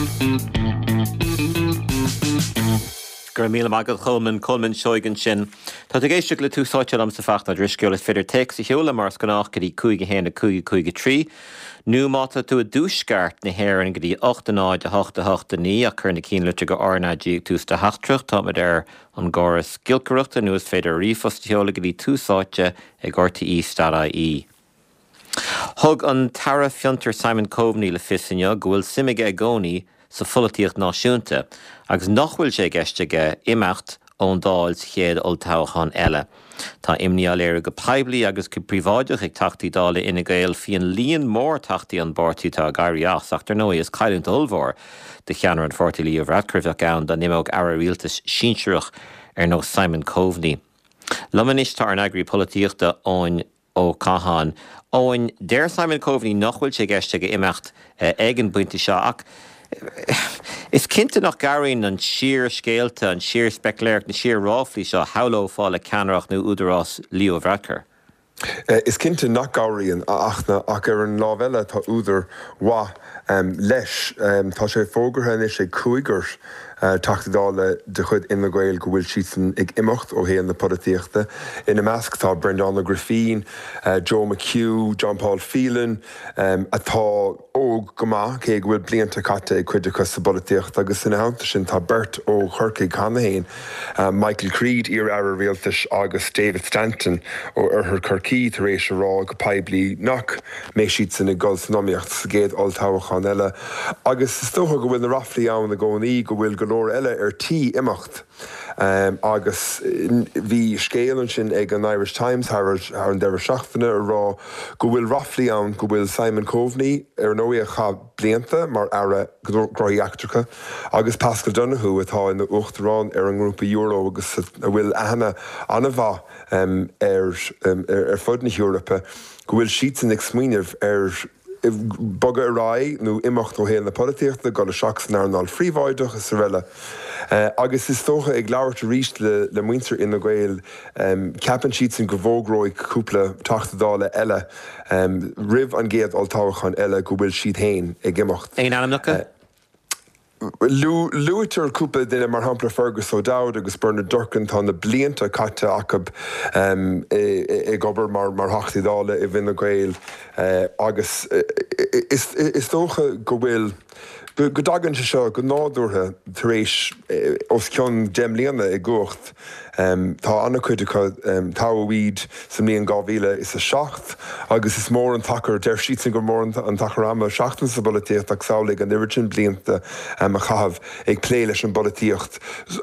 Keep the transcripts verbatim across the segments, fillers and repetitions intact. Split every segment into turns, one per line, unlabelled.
Go raibh míle maith agat Colman Colman Seoighe ansin. Tá tú ag éisteacht le Tús Áite liomsa Fachtna Ó Drisceoil is féidir téacs a sheoladh mar is gnách go dtí cúig a haon a cúig a cúig a trí. Nó má tá tú i dtuaisceart na hÉireann go dtí ocht a náid a hocht a hocht a naoi ach cuir na cinnlitreacha R na G ag tús do theachtaireacht táimid ar an gcóras giolcaireachta nó is féidir ríomhphost a sheoladh go dtí tús áite ag RTE dot IE. Thug an tAire Fiontar Simon Coveney le fios inniu go bhfuil suim aige i gcónaí sa pholaitíocht náisiúnta, agus nach bhfuil sé i gceist aige imeacht ón Dáil sa chéad olltoghchán eile. Tá imní á léiriú go poiblí agus go príobháideach ag Teachtaí Dála Fhine Gael faoin líon mór teachtaí an pháirtí atá ag éirí as, ach dar ndóigh is cailliúint ollmhór do cheannaire an pháirtí Leo Varadkar a bheadh ann dá n-imeodh aire rialtais sinsearach ar nós Simon Coveney. Liom anois tá ár n-eagraí polaitíochta Eoin Ó Catháin. Eoin, deir Simon Coveney nach bhfuil sé i gceist aige imeacht ag an bpointe seo ach is cinnte nach gcabhraíonn an síorscéalta, an síorspeicléireacht, na síor-ráflaí seo shamhlófá le ceannaireacht nó údarás Leo Varadkar.
Is cinnte nach gcabhraíonn ach ach ar an lámh eile tá údar mhaith leis. Tá sé fógartha anois ag cúigear Teachta Dála de chuid Fhine Gael go bhfuil siadsan ag imeacht ó shaol na polaitíochta. Ina measc tá Breandán Ó Grifín, Joe McHugh, John Paul Phelan, atá óg go maith, cé go bhfuil blianta caite ag cuid acu sa bpolaitíocht, agus ina theannta sin tá beirt ó Chorcaigh cheana féin, Michael Creed, iar-aire rialtais, agus David Stanton ó Oirthear Chorcaí tar éis a rá go poiblí nach mbeidh siadsan ag dul san iomaíocht sa gcéad olltoghchán eile. Agus is dócha go bhfuil na ráflaí ann i gcónaí go bhfuil go leor eile ar tí imeacht. Agus bhí scéal ansin ag an Irish Times thar an deireadh seachtaine a rá go bhfuil ráflaí ann go bhfuil Simon Coveney, ar ndóigh a chaith blianta mar Aire Gnóthaí Eachtracha, agus Paschal Donohoe atá ina uachtarán ar an nGrúpa Euro agus a bhfuil aithne an-mhaith air ar fud na hEorpa, go bhfuil siadsan ag smaoineamh ar bogadh ar aghaidh nó imeacht ó shaol na polaitíochta, dul isteach san earnáil phríobháideach is araile. Agus is dócha, ag labhairt arís le muintir Fhine Gael, ceapann siadsan go bhfógróidh cúpla Teachta Dála eile roimh an gcéad olltoghchán eile go bhfuil siad féin ag imeacht.
Aon ainmneacha?
Luaitear cúpla duine, mar shampla Fergus O'Dowd agus Bernard Durkan, tá na blianta caite acu ag obair mar Theachtaí Dála i bhFine Gael agus is dócha go bhfuil, go dtagann sé seo go nádúrtha tar éis os cionn deich mbliana i gcumhacht. Tá an-chuid acu, toghadh iad sa mbliain dhá mhíle is a seacht agus is mór an t-achar, deir siadsan gur mór an t-achar ama seachtain sa bpolaitíocht ach samhlaigh an oiread sin blianta a chaitheamh ag plé leis an bpolaitíocht.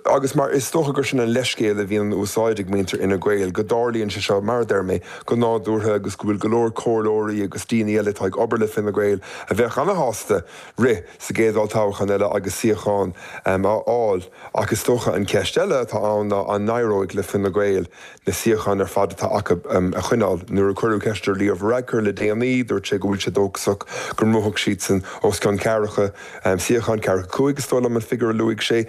Agus mar is dócha gur sin an leithscéal a bhíonn in úsáid ag muintir Fhine Gael, go dtarlaíonn sé seo, mar a deir mé, go nádúrtha agus go bhfuil go leor comhairleoirí agus daoine eile atá ag obair le Fine Gael a bheadh ana-shásta rith sa gcéad olltoghchán eile agus suíochán a fháil. Ach is dócha an cheist eile atá ann ná an n-éireoidh le Fine Gael na suíocháin ar fad atá acu a choinneáil. Nuair a cuireadh ceist ar Leo Varadkar le déanaí, dúirt sé go bhfuil sé dóchasach go mbuafadh siadsan os cionn ceathracha suíochán, ceathracha cúig is dóigh liom an figiúr a luaigh sé.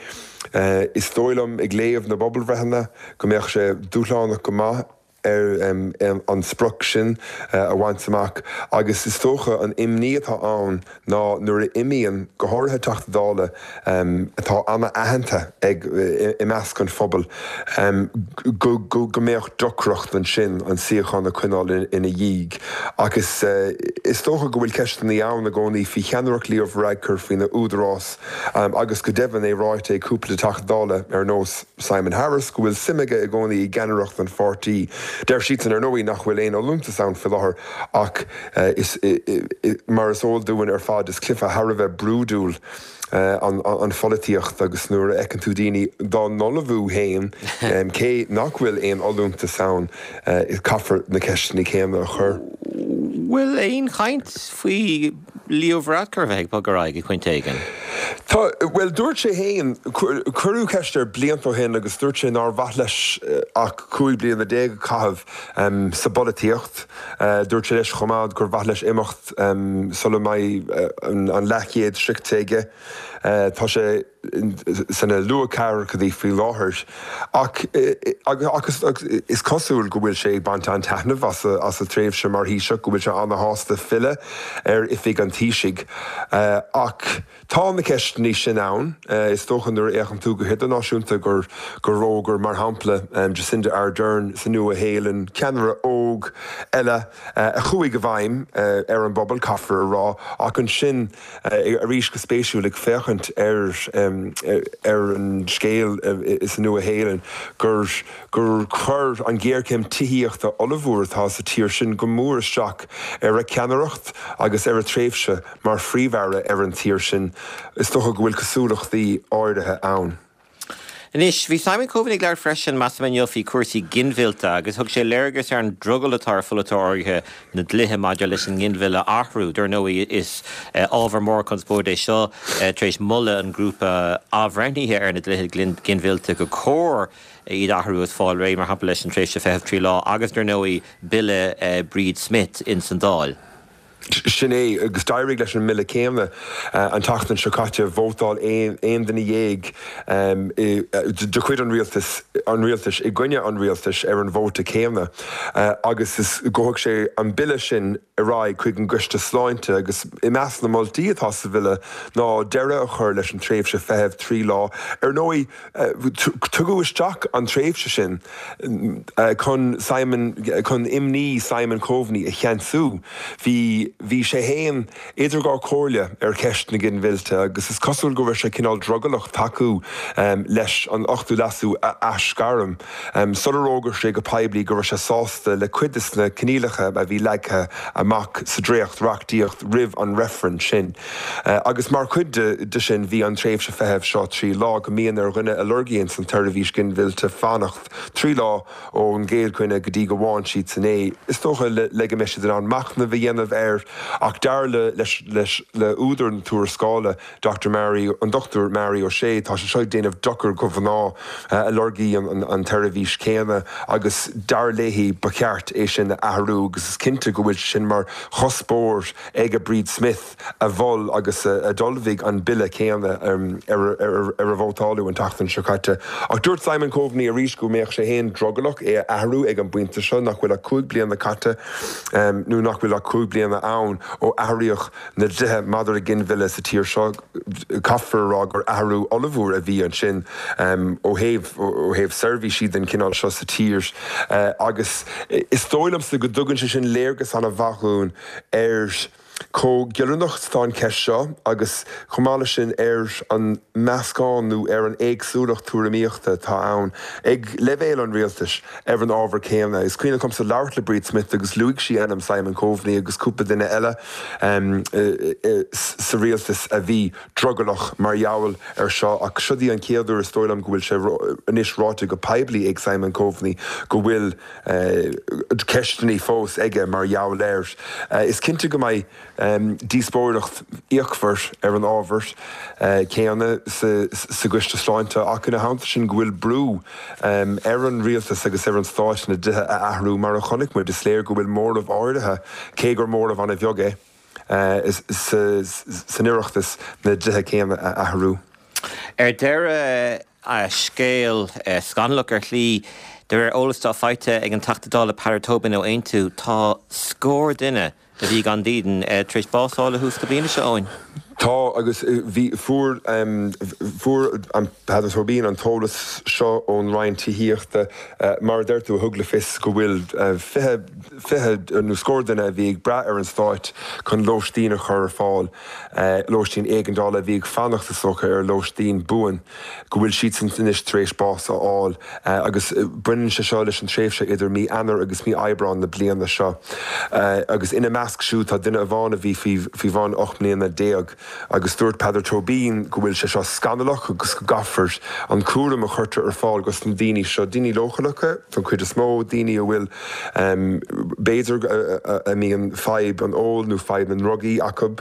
Is dóigh liom, ag léamh na bpobalbhreitheanna, go mbeadh sé dúshlánach go maith ar an sprioc sin a bhaint amach agus is dócha an imní atá ann ná nuair a imíonn, go háirithe Teachta Dála atá ana-aitheanta ag i measc an phobail, go go mbeadh deacracht ansin an suíochán a choinneáil ina dhiaidh. Ach is is dócha go bhfuil ceisteanna ann i gcónaí faoi cheannaireacht Leo Varadkar, faoina údarás agus go deimhin é ráite ag cúpla Teachta Dála ar nós Simon Harris go bhfuil suim aige i gcónaí i gceannaireacht an pháirtí. Deir siadsan, ar ndóigh, nach bhfuil aon fholúntas ann faoi láthair ach is, mar is eol dúinn ar fad, is cluiche thar a bheith brúidiúil an pholaitíocht agus nuair a fheiceann tú daoine dá n-ullmhú féin, cé nach bhfuil aon fholúntas ann, caithfear na ceisteanna céanna a chur.
Bhfuil aon chaint faoi Leo Varadkar a bheith ag bogadh ar aghaidh ag pointe éigin?
Tá, bhuel, dúirt sé féin, cuireadh ceist air blianta ó shin agus dúirt sé nár mhaith leis ach cúig bliana déag a chaitheamh sa bpolaitíocht. Dúirt sé leis chomh maith gur mhaith leis imeacht sula mbeidh an leathchéad sroichte aige. Tá sé sna luathcheathrachaidí faoi láthair ach agus is cosúil go bhfuil sé ag baint an-taitneamh as a thréimhse mar Thaoiseach, go bhfuil sé ana-shásta filleadh ar oifig an Taoisigh. Ach tá na na ceisteanna sin ann, is dócha nuair a fhéachann tú go hidirnáisiúnta gur gur fhógair mar shampla Jacinda Ardern sa Nua-Shéalainn, ceannaire óg eile a chuaigh i bhfeidhm ar an bpobal, caithfear a rá, ach ansin arís go spéisiúil ag féachaint ar ar an scéal sa Nua-Shéalainn gur gur chuir an ghéarchéim tithíochta ollmhór atá sa tír sin go mór isteach ar a ceannaireacht agus ar a tréimhse mar phríomh-aire ar an tír sin. Is dócha go bhfuil cosúlachtaí áirithe ann.
Anois, bhí Simon Coveney ag labhairt freisin, measaim, inniu faoi chúrsaí ginmhillte agus thug sé léargas ar an drogall atá ar pholaiteoirí áirithe na dlíthe maidir leis an nginmhilleadh a athrú. Dar ndóigh, is ábhar mór conspóide é seo tar éis moladh an grúpa athbhreithnithe ar na dlíthe ginmhillte gur chóir iad a athrú is fáil réidh, mar shampla, leis an tréimhse feithimh trí lá agus, dar ndóigh, Bille Bríd Smith ins an Dáil.
Sin é, agus d'éirigh leis an mbille céanna an tseachtain seo caite, vótáil aon duine dhéag de chuid an rialtais an rialtais i gcoinne an rialtais ar an vóta céanna agus is gabhfaidh sé an bille sin ar aghaidh chuig an gCoiste Sláinte agus i measc na moltaí atá sa bhille ná deireadh a chur leis an tréimhse feithimh trí lá. Ar ndóigh, tugadh isteach an tréimhse sin chun Simon chun imní Simon Coveney a cheansú. Bhí bhí sé féin idir dhá chomhairle ar cheist na ginmhillte agus is cosúil go raibh sé cineál drogallach tacú leis an Ochtú Leasú a aisghairm sular fhógair sé go poiblí go raibh sé sásta le cuid de na coinníollacha a bhí leagtha amach sa dréacht-reachtaíocht roimh an reifreann sin. Agus mar chuid de sin bhí an tréimhse feithimh seo trí lá, go mbíonn ar dhuine a lorgaíonn an tseirbhís ghinmhillte fanacht trí lá ón gcéad choinne go dtí go bhfaigheann siadsan é, is dócha le go mbeidh siad in ann machnamh a dhéanamh air. Ach dar le leis le údar na tuarascála, Doctor Mary, an Dochtúir Mary O'Shea, tá sé seo ag déanamh dochar do mhná a lorgaíonn an tseirbhís chéanna agus dar léi ba cheart é sin a athrú agus is cinnte go bhfuil sé sin mar chuspóir ag Bríd Smith a mhol agus a d'ullmhaigh an bille céanna ar ar a vótáladh an tseachtain seo caite. Ach dúirt Simon Coveney arís go mbeadh sé féin drogallach é a athrú ag an bpointe seo nach bhfuil ach cúig bliana caite nó nach bhfuil ach cúig bliana ann ó athraíodh na dlíthe maidir le ginmhilleadh sa tír seo. Caithfear a rá gur athrú ollmhór a bhí ansin ó thaobh ó thaobh seirbhísí den chineál seo sa tír agus is dóigh liomsa go dtugann sé sin léargas an-mhaith dúinn ar chomh giollarnach is atá an cheist seo agus chomh maith leis sin ar an meascán nó ar an éagsúlacht tuairimíochta atá ann ag leibhéal an rialtais ar an ábhar céanna. Is cuimhin liomsa labhairt le Bríd Smith agus luaigh sí ainm Simon Coveney agus cúpla duine eile sa rialtas a bhí drogallach mar gheall ar seo ach seo í an chéad uair is dóigh liom go bhfuil sé anois ráite go poiblí ag Simon Coveney go bhfuil ceisteanna fós aige mar gheall air. Is cinnte go mbeidh díospóireacht fhíochmhar ar an ábhar céanna sa gCoiste Sláinte ach ina theannta sin go bhfuil brú ar an rialtas agus ar an stát na dlíthe a athrú mar a chonaic muid. Is léir go bhfuil móramh áirithe, cé gur móramh an-bheag é, san Oireachtas na dlíthe céanna a athrú.
Ar deireadh, scéal scannalach ar shlí, de réir eolas atá faighte ag an Teachta Dála Peadar Tóibín ó Aontú, tá scór duine a bhí gan dídean tar éis bás a fháil ó thús na bliana seo, Eoin.
Tá, agus bhí, fuair, fuair an Peadar Tóibín an t-eolas seo ón Roinn Tithíochta, mar a deir tú, a thug le fios go bhfuil fiche, fiche nó scór duine a bhí ag brath ar an Stát chun lóistín a chur ar fáil, lóistín éigeandála, a bhí ag fanacht, is dócha, ar lóistín buan, go bhfuil siadsan anois tar éis bás a fháil agus baineann sé seo leis an tréimhse idir mí Eanáir agus mí Aibreán na bliana seo agus ina measc siúd tá duine amháin a bhí faoi bhun ocht mbliana déag agus dúirt Peadar Tóibín go bhfuil sé seo scannalach agus go gcaithfear an cúram a chuirtear ar fáil dos na daoine seo, daoine leochaileacha don chuid is mó, daoine a bhfuil b'fhéidir a mbíonn fadhb an óil nó fadhb na ndrugaí acu,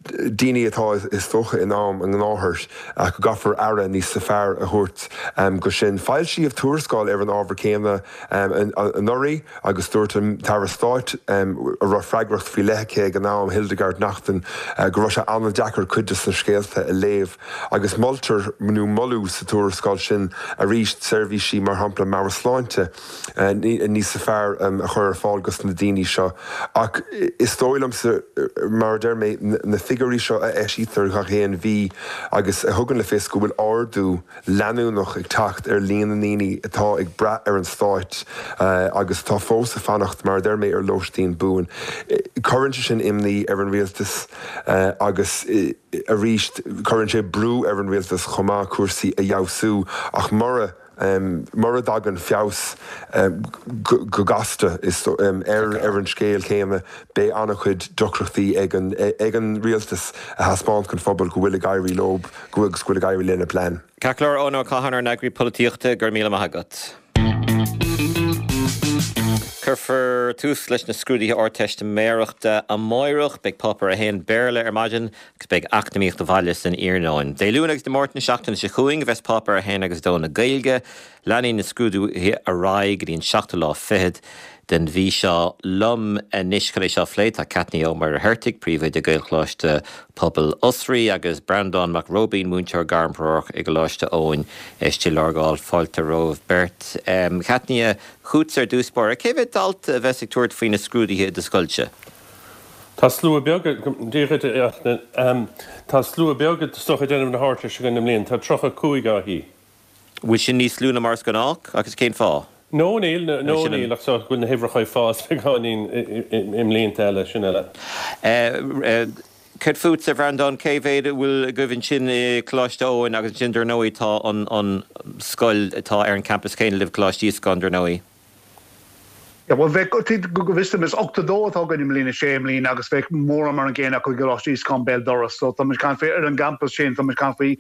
daoine atá is dócha in am a ngnáthair ach go gcaithfear aire níos fearr a thabhairt go sin. Foilsíodh tuarascáil ar an ábhar céanna anuraidh agus dúirt an tAire Stáit a raibh freagracht faoi leith aici ag an am, Hildegarde Naughton, go raibh sé an-deacair cuid de na scéalta a léamh agus moltar nó moladh sa tuarascáil sin arís seirbhísí mar shampla meabhairshláinte níos fearr a chur ar fáil dos na daoine seo ach is dóigh liomsa mar a deir mé na figiúirí figiúirí seo a eisítear gach aon mhí agus a thugann le fios go bhfuil ardú leanúnach ag teacht ar líon na ndaoine atá ag brath ar an stát agus atá fós ag fanacht mar a deir mé ar lóistín buan. Cuireann sé sin imní ar an rialtas agus arís cuireann sé brú ar an rialtas chomh maith cúrsaí a fheabhsú ach mura mura dtagann feabhas go gasta ar ar an scéal céanna beidh an-chuid deacrachtaí ag an ag an rialtas a thaispeáint don phobal go bhfuil ag éirí leo go bhfuil ag éirí lena bplean.
Ceart go leor Eoin Ó Catháin ár n-eagraí polaitíochta go raibh míle maith agat. Cuirfear tús leis na scrúduithe Ardteistiméireachta amárach, beidh páipéar a haon Béarla ar maidin agus beidh Eacnamaíocht Bhaile san iarnóin. Dé Luain agus Dé Máirt na seachtaine seo chugainn a bheas páipéar a haon agus a dó na Gaeilge. Leanfaidh na scrúduithe ar aghaidh go dtí an seachtú lá fichead den mhí seo. Liom anois chun é seo a phlé tá Caithnia Ó Muircheartaigh, príomhoide Gaelcholáiste Pobail Osraí agus Breandán Mac Róibín, múinteoir gairmthreorach i gColáiste Eoin i Stigh Lorgáin. Fáilte romhaibh beirt. Caithnia, chugatsa ar dtús báire, cé mhéad dalta a bheas ag tabhairt faoi na scrúduithe i do scoilse?
Tá slua beag, Dia dhuit, tá slua beag is dócha ag déanamh na hArdteiste againn i mbliana, tá tríocha cúig á shuí.
Bhfuil sin níos lú ná mar is gnách agus cén fáth?
No níl, no níl ach so go bhfuil na huimhreacha ag fás beagáinín i mblianta eile, sin eile.
Céard fútsa, a Bhreandáin, cé mhéad a bhfuil agaibh ansin i Coláiste Eoin agus ansin dar ndóigh tá an an scoil atá ar an campas céanna libh, Coláiste Íosacáin, dar ndóigh.
Yeah, well bheadh go bhfios dom is ochtó dó atá againn i mbliain a sé i mbliana agus bheadh mórán mar an gcéanna acu i gColáiste Íosacáin béal dorais. So tá muid ag caint faoi ar an gcampas sin, tá muid ag caint faoi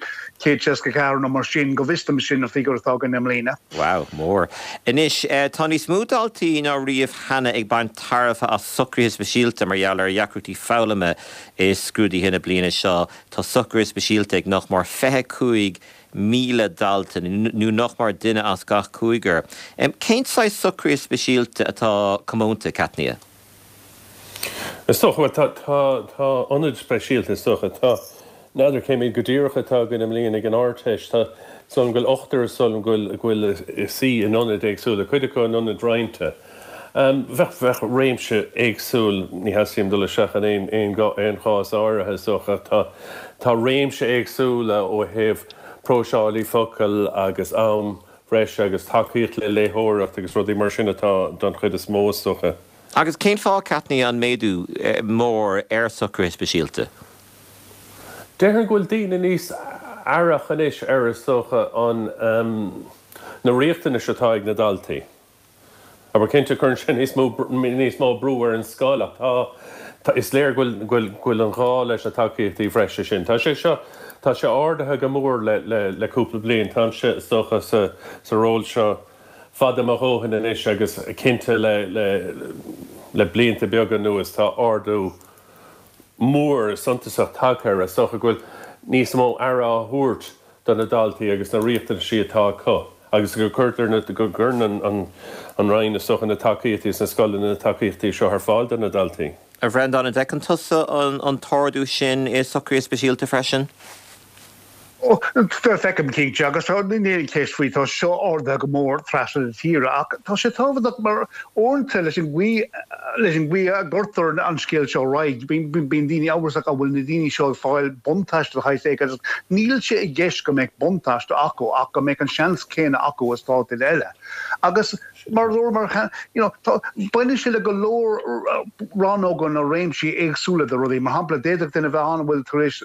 céad seasca ceathair nó mar sin, go bhfios dom sin an figiúr atá againn i mbliana.
Wow, mór. Anois, tá níos mó daltaí ná riamh cheana ag baint tairbhe as socruithe speisialta mar gheall ar dheacrachtaí foghlama i scrúduithe na bliana seo. Tá socruithe speisialta ag nach mór fiche cúig míle dalta, nó nach mór duine as gach cúigear. Cén saghas socruithe speisialta atá comónta, Caithnia?
Is dócha, bhuel, tá, tá, tá ionaid speisialta, is dócha. Tá, n'fheadar cé mhéad go díreach atá againn i mbliana ag an Ardteist. Tá, is dóigh liom go bhfuil ochtar, is dóigh liom go bhfuil, go bhfuil ag suí in ionaid éagsúla, cuid acu in ionaid roinnte. Bheadh, bheadh réimse éagsúil, ní theastaíonn dul isteach in aon, aon, aon chás áirithe, is dócha, ach tá, tá réimse éagsúla ó thaobh próiseálaí focal agus am breise agus tacaíocht le léitheoireacht agus rudaí mar sin atá don chuid is mó, is dócha.
Agus cén fáth, Caithnia, an méadú mór ar socruithe speisialta?
Déarfainn go bhfuil daoine níos aireach anois ar, is dócha, an, na riachtanais atá ag na daltaí. Abair, cinnte, cuireann sé níos mó, níos mó brú ar an scoil ach tá, tá, is léir go bhfuil, go bhfuil, go bhfuil an gá leis na tacaíochtaí bhreise sin. Tá sé seo, tá sé ardaithe go mór le, le, le cúpla bliain. Táimse, is dócha, sa, sa ról seo fada mo dhóthain anois agus cinnte le, le, le blianta beaga anuas tá ardú mór suntasach tagtha air. Is dócha go bhfuil níos mó aire á thabhairt do na daltaí agus na riachtanaisí atá acu agus go gcuirtear na, go gcuireann an, an, an Roinn, is dócha, na tacaíochtaí is na scoileanna na tacaíochtaí seo ar fáil do na daltaí.
A Bhreandáin, an bhfeiceann tusa an, an t-ardú sin i socruithe speisialta freisin?
Ó, feicim cinnte, agus tá, níl aon cheist faoi, tá seo ardaithe go mór trasna na tíre, ach tá sé tábhachtach mar uaireanta leis an gcaoi, leis an gcaoi a gcuirtear an scéal seo ar aghaidh, bíonn, bíonn daoine amhrasach an bhfuil na daoine seo ag fáil buntáiste de shaghas éigin agus níl sé i gceist go mbeadh buntáiste acu ach go mbeadh an seans céanna acu is atá duine eile. Agus mar a dúramar cheana, you know, tá, baineann sé le go leor rannóga nó réimsí éagsúla de rudaí. Mar shampla, d'fhéadfadh duine a bheith ann a bhfuil tar éis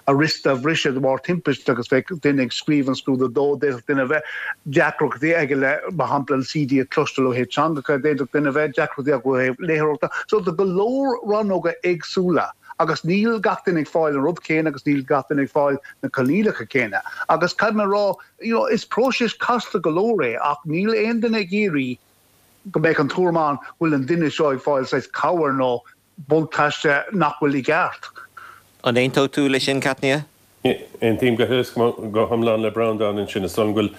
a wrist a bhriseadh de bharr timpiste agus bheadh duine ag scríobh an scrúdú dó, d'fhéadfadh duine a bheith deacrachtaí aige le, mar shampla, an C D a chloisteáil ó thaobh teangacha, d'fhéadfadh duine a bheith deacrachtaí acu ó thaobh léitheoireachta. So tá go leor rannóga éagsúla agus níl gach duine ag fáil an rud céanna agus níl gach duine ag fáil na coinníollacha céanna. Agus caithfidh mé a rá, you know, is próiseas casta go leor é ach níl aon duine ag iarraidh go mbeadh an tuairim ann go bhfuil an duine seo ag fáil saghas cabhair nó buntáiste nach bhfuil i gceart.
An aontódh tú leis sin, Caithnia?
Aontaím go huile go hiomlán le Breandán ansin. Is dóigh liom go bhfuil,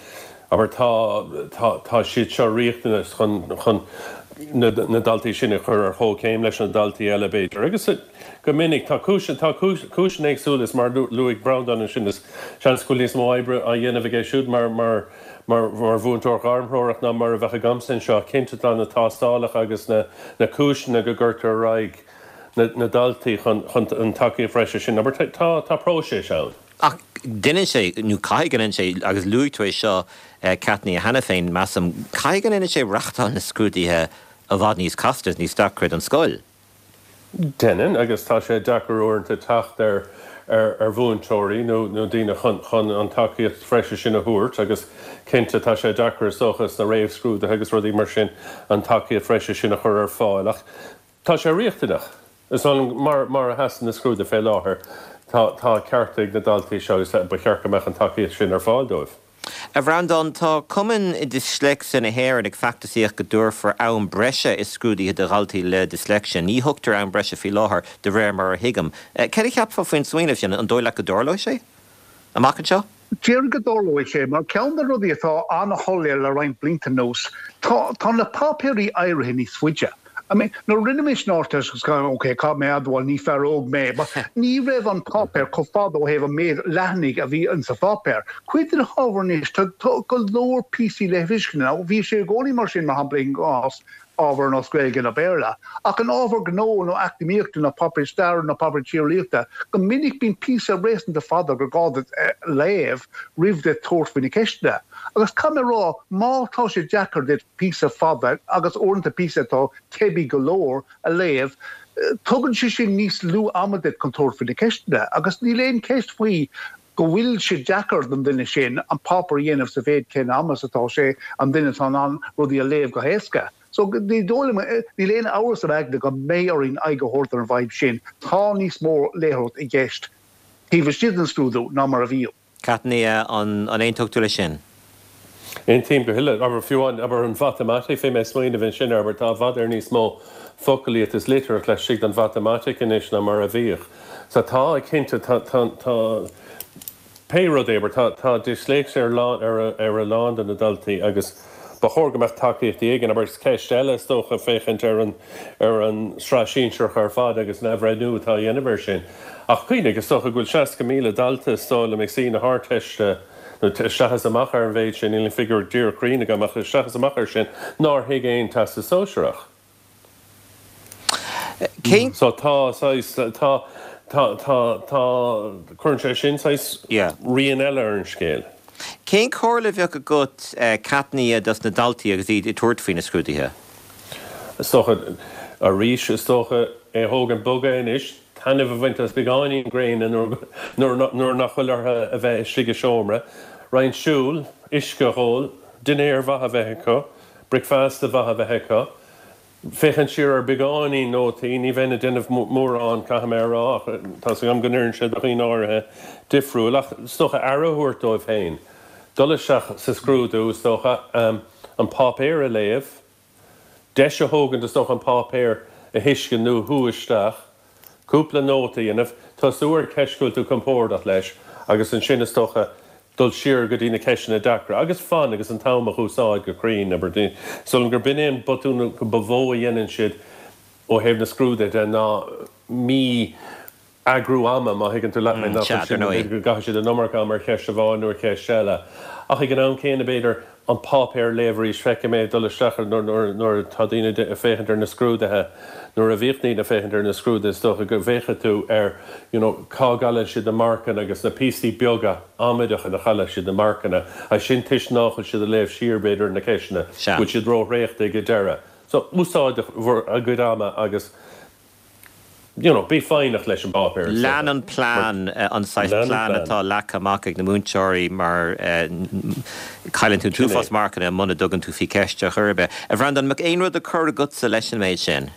abair, tá, tá, tá siad seo riachtanach chun, chun na, na daltaí sin a chur ar chomhchéim leis na daltaí eile, b'fhéidir. Agus go minic tá cúis, tá cúiseanna éagsúla is mar luaigh Breandán ansin is seans go bhfuil níos mó oibre á dhéanamh aige siúd mar, mar, mar, mar mhúinteoir gairmthreorach ná mar a bheadh agamsa anseo. Cinnte tá na tástálacha agus na, na cúiseanna go gcuirtear ar aghaidh na daltaí chun an tacaíocht bhreise sin. Abair, tá tá próiseas ann.
Ach déanann sé, nó caithfidh go ndéanann sé, agus luaigh tú é seo, Caitnío, cheana féin, measaim, caithfidh go ndéanann sé reáchtáil na scrúduithe i bhfad níos casta is níos deacra don scoil.
Déanann, agus tá sé deacair uaireanta teacht ar ar mhúinteoirí nó nó daoine chun chun an tacaíocht bhreise sin a thabhairt agus cinnte tá sé deacair is dócha sna réamhscrúduithe agus rudaí mar sin an tacaíocht bhreise sin a chur ar fáil ach tá sé riachtanach. Is dóigh liom mar mar a sheasann na scrúduithe fé láthair tá tá ceart ag na daltaí seo agus ba cheart go mbeadh an tacaíocht sin ar fáil dóibh.
A Bhreandáin, tá Cumann Disléicse na hÉireann ag feachtasaíocht go dtabharfar am breise i scrúduithe do dhaltaí le disléicse. Ní thugtar am breise faoi láthair, de réir mar a thuigim. Céard a cheapfá faoin smaoineamh sin? An dóigh leat go dtarlóidh sé amach anseo?
Déarfainn go dtarlóidh sé, mar ceann de na rudaí atá an-shoiléir le roinnt blianta anuas, tá tá na páipéirí éirithe níos faide. I mean, nuair a rinne mise an Ardteist agus ok, caithfidh mé a admháil, ní fear óg mé, but ní raibh an páipéar chomh fada ó thaobh an méid leathanaigh a bhí insa pháipéar. Cuid de na hábhair anois, tá go leor píosaí léirmhíniúcháin ann. Bhí sé i gcónaí mar sin, mar shampla, i gcás ábhar ar nós Gaeilge nó Béarla. Ach in ábhar gnó nó eacnamaíochta nó páipéar staire nó páipéar tíreolaíochta, go minic bíonn píosa réasúnta fada gur gá duit léamh roimh duit tabhairt faoi na ceisteanna. Agus caithfidh mé a rá, má tá sé deacair duit píosa fada, agus uaireanta píosa atá teibí go leor, a léamh, tugann sé sin níos lú ama duit chun tabhairt faoi na ceisteanna. Agus níl aon cheist faoi go bhfuil sé deacair don duine sin an páipéar a dhéanamh sa mhéid céanna ama is atá sé an duine atá in ann rudaí a léamh go héasca. So ní dóigh liom, níl aon amhras i m'aigne go mbeidh orainn aghaidh a thabhairt ar an bhfadhb sin. Tá níos mó léitheoireacht i gceist taobh istigh den scrúdú ná mar a bhíodh.
Caitnío, an aontódh tú leis sin?
Aontaím go huile. Abair, fiú amháin, abair, an mhatamaitic, bhí mé ag smaoineamh ansin air, abair, tá i bhfad ar níos mó focalaíocht is litríocht laistigh den mhatamaitic anois ná mar a bhíodh. So tá, cinnte, tá, tá, tá, pé rud é, abair, tá, tá disléicse ar lán, ar a, ar a lán de na daltaí agus ba chóir go mbeadh tacaíochtaí éigin, abair, is ceist eile is dócha féachaint ar an, ar an tsraith shinsearach ar fad agus an athbhreithniú atá á dhéanamh air sin. Ach cuimhnigh, is dócha go bhfuil seasca míle dalta is dóigh liom ag suí na hArdteiste, nó isteach is amach ar an mhéid sin, níl an figiúr díreach cruinn agam ach isteach is amach air sin, nár thuig aon Teastas Sóisearach.
Cén.
So tá saghas, tá, tá, tá, tá, cuireann sé sin saghas
Yeah.
rian eile ar an scéal.
Cén chomhairle a bheadh agat, Caitnío, dos na daltaí agus iad ag tabhairt faoi na scrúduithe?
Is dócha, arís, is dócha é a thógaint bog anois, taitneamh a bhaint as beagáinín gréine nuair nach bhfuil orthu a bheith istigh i seomra, roinnt siúil, uisce a dh'ól, dinnéar mhaith a bheith acu, bricfeasta mhaith a bheith acu, féachaint siar ar beagáinín nótaí, ní bheinn ag déanamh mórán, caithfidh mé a rá, ach tá's agam go n-oireann sé do dhaoine áirithe difriúil, ach is dócha aire a thabhairt dóibh féin, dul isteach sa scrúdú, is dócha, an páipéar a léamh, deis a thógaint, is dócha, an páipéar a thuiscint nó a shú isteach, cúpla nóta a dhéanamh, tosú ar cheist go bhfuil tú compordach leis agus ansin, is dócha, dul siar go dtí na ceisteanna deacra agus fan agus an t-am a úsáid go cruinn. Abair, is dóigh liom gurb in é an botún ba mhó a dhéanann siad ó thaobh na scrúduithe de ná mí eagrú ama, má thuigeann tú leat mé, nach
Sea,
sin
dar ndóigh.
go gcaithfidh siad an iomarca ama ar cheist amháin nó ar cheist eile. Ach ag an am céanna, b'fhéidir, an páipéar a léamh arís, feicim é ag dul isteach nuair nuair atá daoine ag féachaint ar na scrúduithe, nuair a bhíodh daoine ag féachaint ar na scrúduithe, is dócha go bhféachadh tú ar you know cá gcailleann siad na marcanna agus na píosaí beaga amaideacha ina chailleann siad na marcanna, agus sin toisc nach bhfuil siad ag léamh siar, b'fhéidir, ar na ceisteanna,
Sea.
go bhfuil siad róthraochta ag an deireadh. So, úsáid bhur gcuid ama agus. you know, bí foighneach leis an bpáipéar is
Lean
dócha.
an plean, an saghas
Lean an
plean
plean.
atá leagtha amach ag na múinteoirí mar cailleann tú an
Sin é.
t-uafás marcanna muna dtugann tú faoi cheist ar chor ar bith. A Bhreandáin, an mbeadh aon rud á chur agatsa leis an méid sin?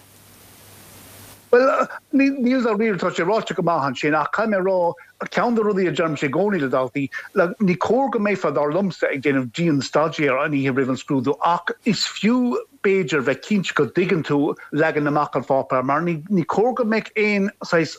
Bhuel, níl dáiríre, tá sé ráite go maith ansin, ach caithfidh mé a rá, ceann de rudaí a deirimse i gcónaí le daltaí, like, ní cóir go mbeifeá, dar liomsa, ag déanamh dian-staidéar an oíche roimh an scrúdú ach is fiú, b'fhéidir, bheith cinnte go dtuigeann tú leagan amach an pháipéir mar ní, ní cóir go mbeadh aon saghas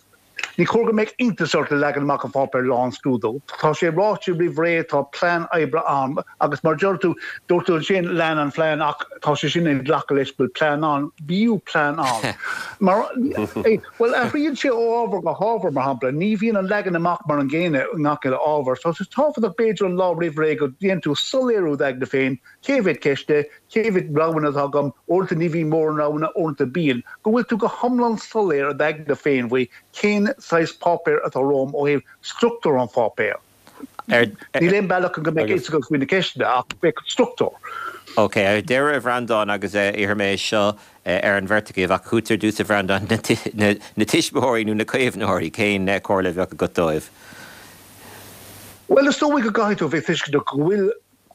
Ní chóir go mbeadh iontas ort le leagan amach an pháipéir lá an scrúdú. Tá sé ráite roimh ré, tá plean oibre ann agus mar deir tú, dúirt tú ansin lean an phlean ach tá sé sin ag glacadh leis go bhfuil plean ann, bíodh plean ann. Mar, bhuel, athraíonn sé ó ábhar go hábhar, mar shampla, ní bhíonn an leagan amach mar an gcéanna i ngach uile ábhar. So is tábhachtach b'fhéidir an lá roimh ré go ndéanann tú soiléiriú d'aigne féin, cé mhéad ceist é, cé mhéad roghanna atá agam, uaireanta ní bhíonn mórán roghanna, uaireanta bíonn, go bhfuil tú go hiomlán soiléir i d'aigne féin faoi cén saghas páipéir atá romham ó thaobh struchtúr an pháipéir. Níl aon bealach go mbeidh fhios agat faoi na ceisteanna ach beidh struchtúr.
Ok, ar deireadh a Bhreandáin, agus iarrfaidh mé é seo ar an bheirt agaibh, ach chugat ar dtús a Bhreandáin, na tuismitheoirí nó na caomhnóirí, cén comhairle a bheadh agat dóibh?
Bhuel, is dóigh go gcaithfidh tú a bheith tuisceanach go bhfuil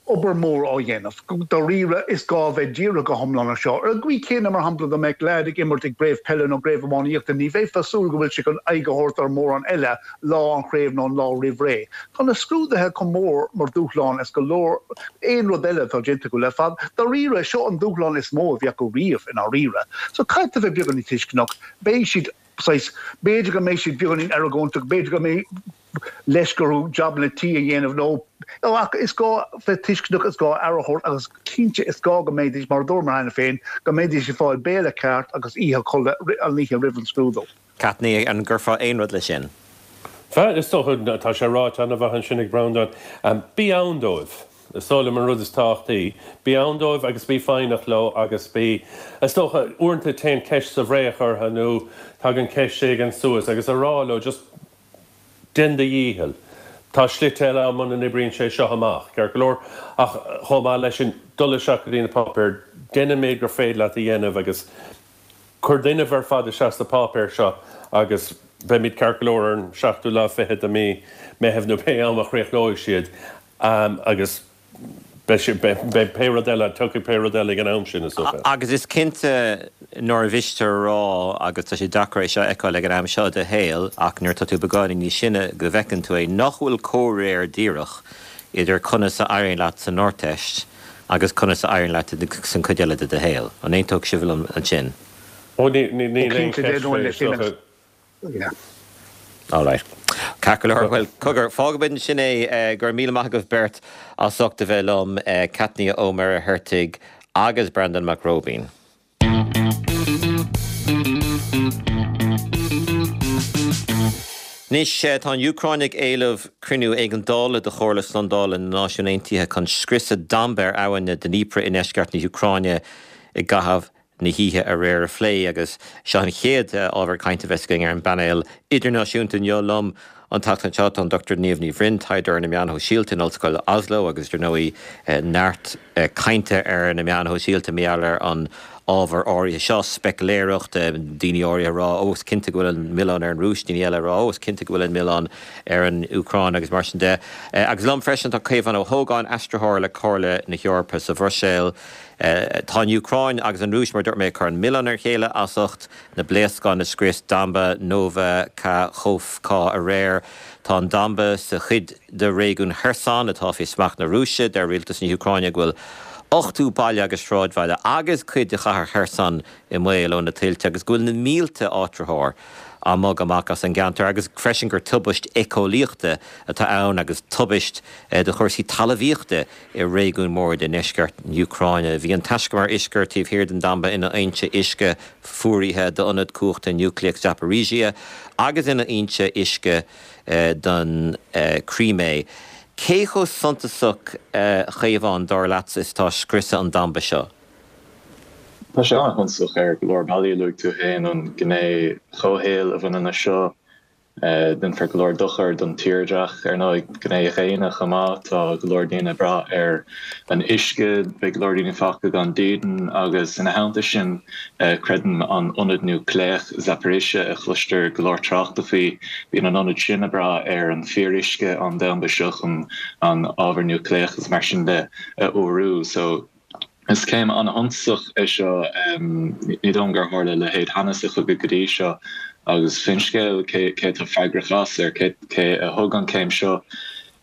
obair mhór á dhéanamh. Dáiríre, is gá a bheith dírithe go hiomlán air seo. Ar an gcaoi chéanna, mar shampla, dá mbeadh leaid ag imirt i gcraobh peile nó gcraobh iománaíochta, ní bheifeá ag súil go bhfuil sé chun aghaidh a thabhairt ar mhórán eile lá an chraobh nó an lá roimh ré. Tá na scrúduithe chomh mór mar dhúshlán is go leor aon rud eile atá déanta acu le fada. Dáiríre, seo an dúshlán is mó a bhí acu riamh i ndáiríre. So caithfidh tú a bheith beagáinín tuisceanach. Beidh siad saghas, b'fhéidir go mbeidh siad beagáinín argóinteach, b'fhéidir go mbeidh leisce orthu jabanna tí a dhéanamh nó ach is gá bheith tuisceanach, is gá aire a thabhairt agus cinnte is gá go mbeidís, mar a dúirt mé cheana féin, go mbeidís ag fáil béile ceart agus oíche chodladh an oíche roimh an scrúdú.
Caitní, an gcuirfeá aon rud leis sin?
Bhuel, is dócha, tá sé ráite an-mhaith ansin ag Breandán, bí ann dóibh. Is dóigh liom an rud is tábhachtaí. Bí ann dóibh agus bí foighneach leo agus bí, is dócha, uaireanta téann ceist sa bhfraoch orthu nó tagann ceist éigin suas agus a rá leo just déan do dhícheall. Tá slite eile ann muna n-oibríonn sé seo amach, ceart go leor, ach chomh maith leis sin, dul isteach go dtí na páipéir, déan an méid gur féidir leat a dhéanamh agus cuir d'fhuinneamh ar fad isteach sna páipéir seo agus beimid ceart go leor ar an seachtú lá fichead de mí Meitheamh nó pé am a chríochnóidh siad agus beidh sé, beidh pé rud eile, tiocfaidh pé rud eile ag an am sin, is dócha.
Agus is cinnte nár mhiste a rá, agus tá sé deacair é seo a fheiceáil ag an am seo i do shaol, ach nuair atá tú beagáinín níos sine go bhfeiceann tú é, nach bhfuil comhréir díreach idir conas a éiríonn leat san Ardteist agus conas a éiríonn leat san chuid eile de do shaol. An aontódh sibh liom ansin?
Ó, níl aon cheist faoi, is dócha.
All right. Ceart go leor. Bhuel, cogar, fágfaimid ansin é. Go raibh míle maith agaibh beirt as ucht a bheith liom, Caitní Ó Muircheartaigh agus Breandán Mac Róibín. Anois, tá an Úcráin ag éileamh cruinniú éigeandála de Chomhairle Slándála na Náisiún Aontaithe chun scriosadh damba ar abhainn na Dnipro i ndeisceart na hÚcráine i gcaitheamh na hoíche aréir a phlé agus seo an chéad ábhar cainte a bheas againn ar an bpainéal idirnáisiúnta inniu. Liom an tseachtain seo tá an Dochtúir Niamh Ní Bhroin, taighdeoir ar na meáin shóisialta in Ollscoil Oslo agus dar ndóigh neart cainte ar na meáin shóisialta mar gheall ar an ábhar áirithe seo, speiciléireacht, daoine áirithe ag rá ó is cinnte go bhfuil an milleán ar an Rúis, daoine eile ag rá ó is cinnte go bhfuil an milleán ar an Úcráin agus mar sin de. Agus liom freisin tá Caomhán Ó hÓgáin, aistritheoir le Comhairle na hEorpa sa Bhruiséil. Tá an Úcráin agus an Rúis, mar a dúirt mé, ag cur an milleán ar a chéile as ucht na bpléascán a scrios damba Nova Kakhovka aréir. Tá an damba sa chuid de réigiún Kherson atá faoi smacht na Rúise. Deir rialtas na hÚcráine go bhfuil ochtó baile agus sráidbhaile agus cuid de chathair Kherson i mbaol ó na tuilte agus go bhfuil na mílte áitritheoir á mbogadh amach as an gceantar agus freisin gur tubaist éiceolaíochta atá ann agus tubaist do chúrsaí talmhaíochta i réigiún mór de ndeisceart na hÚcráine. Bhí an taiscumar uisce taobh thiar den damba ina fhoinse uisce fuaraithe d'ionad cumhachta núicléach Zaporizhzhia agus ina fhoinse uisce don Chrimé. Cé chomh suntasach, a Chaomháin, dar leatsa, is atá scriosadh an damba seo?
Tá sé an-shuntasach ar go leor bealaí. Luaigh tú féin an ghné chomhshaoil a bhaineann leis seo. Déanfar go leor dochair don tírdhreach, ar ndóigh, gné dhaonna chomh maith. Tá go leor daoine ag brath ar an uisce, beidh go leor daoine fágtha gan dídean agus ina theannta sin, creidim an ionad núicléach Zaporizhzhia a chloistear go leor tráchta faoi, bíonn an ionad sin ag brath ar an fíoruisce ón damba seo chun an ábhar núicléach agus mar sin de a fhuarú. So. Is céim an-shuntasach é seo. Ní dóigh liom gur tharla a leithéid cheana sa chogadh go dtí seo agus faoin scéal cé atá freagrach as, ar cé a thug an chéim seo,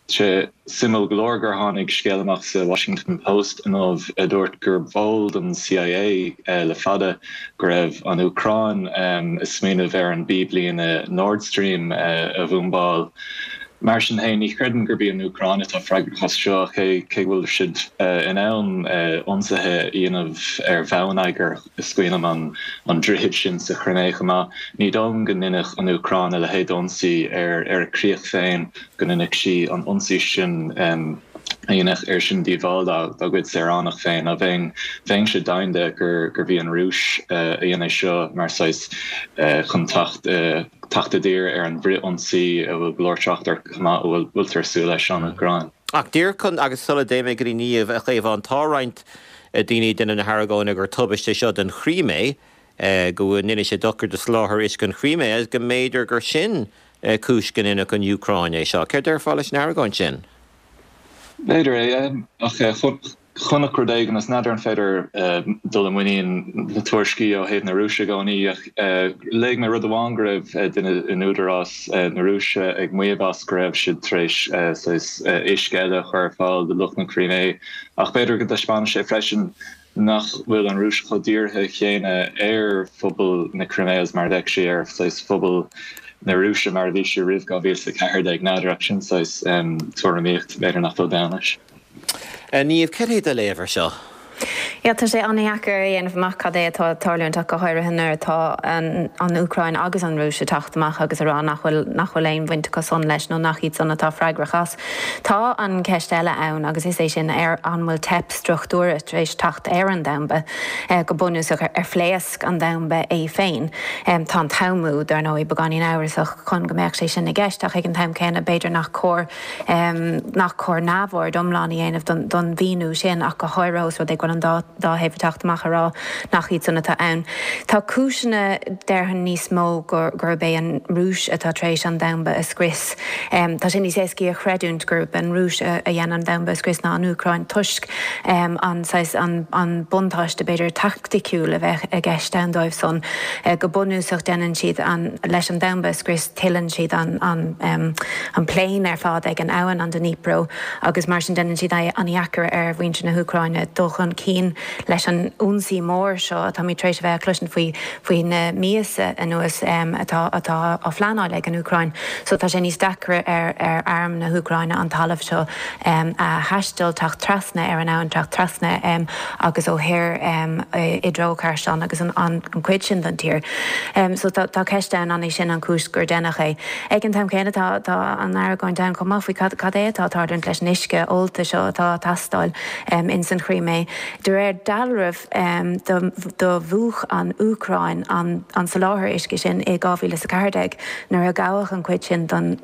sé suimiúil go leor gur tháinig scéal amach sa Washington Post inniu a dúirt gur b'eol don CIA le fada go raibh an Úcráin ag smaoineamh ar an bpíblíne Nord Stream a bhumbáil. Mar sin féin, ní chreidim gurb í an Úcráin atá freagrach as seo, cé go bhfuil siad in ann ionsaithe a dhéanamh ar bhonneagar, is cuimhin liom an droichead sin sa Chrimé chomh maith. Ní dóigh liom go ndéanfadh an Úcráin a leithéid d'ionsaí ar a críoch féin, go ndéanfadh sí an ionsaí sin a dhéanfadh air sin díobháil dá gcuid saoránach féin. Ná bheinn, bheinnse deimhin de gurbh í an Rúis a dhein é seo mar saghas chun teacht teacht i dtír ar an bhfrith-ionsaí a bhfuil go leor trácht air chomh maith, a bhfuiltear ag súil leis ón Úcráin.
Ach díreach chun, agus sula dtéim go dtí Niamh, a Chaomháin, tá roinnt daoine ag déanamh na hargóna gur tubaiste é seo don Chrímé, go ndéanfaidh sé dochar do sholáthar uisce an Chrímé agus go mb'fhéidir gur sin cúis go ndéanfadh an Úcráin é seo. Céard déarfá leis an argóint sin?
B'fhéidir é, ach chonac rud éigin is n'fheadar an féidir dul i muinín na tuairiscí ó thaobh na Rúise i gcónaí, ach léigh mé rud amháin go raibh duine in údarás na Rúise ag maíomh as go raibh siad tar éis saghas uisce eile a chur ar fáil do lucht na Crimé. Ach b'fhéidir go dtaispeánann sé freisin nach bhfuil an Rúis chomh dírithe chéanna ar phobal na Crimé agus mar a bheadh sí ar saghas phobal na Rúise mar a bhí sí roimh dhá mhíle is a ceathair déag. N'fheadar, ach sin saghas tuairimíocht, b'fhéidir nach bhfuil bonn leis.
Niamh, cad é do léamh ar seo?
Yeah, tá sé an-deacair a dhéanamh amach cad é atá ag tarlúint ach go háirithe nuair atá an Úcráin agus an Rúis ag teacht amach agus ag rá nach bhfuil nach bhfuil aon bhaint acu san leis nó nach iad san atá freagrach as. Tá an ceist eile ann agus is é sin ar an bhfuil teip struchtúrtha tar éis teacht ar an damba go bunúsach ar phléasc an damba é féin. Tá an t-am, dar ndóigh, beagáinín amhrasach chun go mbeadh sé sin i gceist ach ag an t-am céanna b'fhéidir nach cóir nach cóir neamhaird iomlán a dhéanamh don mhíniú sin ach go háirithe os rud é go bhfuil an dá dá thaobh ag teacht amach ag rá nach iad san atá ann. Tá cúiseanna déarfainn níos mó gurb é an Rúis atá tar éis an damba a scrios. Tá sé níos éascaí a chreidiúint gurb an Rúis a dhein an damba a scrios ná an Úcráin toisc an saghas an buntáiste b'fhéidir taicticiúil a bheith i gceist ann dóibh san. Go bunúsach déanann siad an leis an damba a scrios tuilleann siad an an an plain ar fad ag an abhainn an Dnipro agus mar sin déanann siad é an-deacair ar mhuintir na hÚcráine dul chun cinn leis an ionsaí mór seo atáimid tar éis a bheith ag cloisint faoi faoi na míosa anuas atá atá á phleanáil ag an Úcráin. So tá sé níos deacra ar ar arm na hÚcráine an talamh seo a thaisteal, teacht trasna ar an abhainn, teacht trasna agus ó thoir i dtreo Kherson agus an an chuid sin den tír. So tá tá ceist ann an é sin an chúis gur deineadh é. Ag an t-am céanna tá tá an argóint ann chomh maith faoi cad cad é atá ag tarlúint leis an uisce ólta seo atá ag teastáil ins an Chrímé. De réir dealraimh do mhúch an Úcráin an soláthar uisce sin i dhá mhíle is a ceathair déag nuair a gabhadh an chuid sin don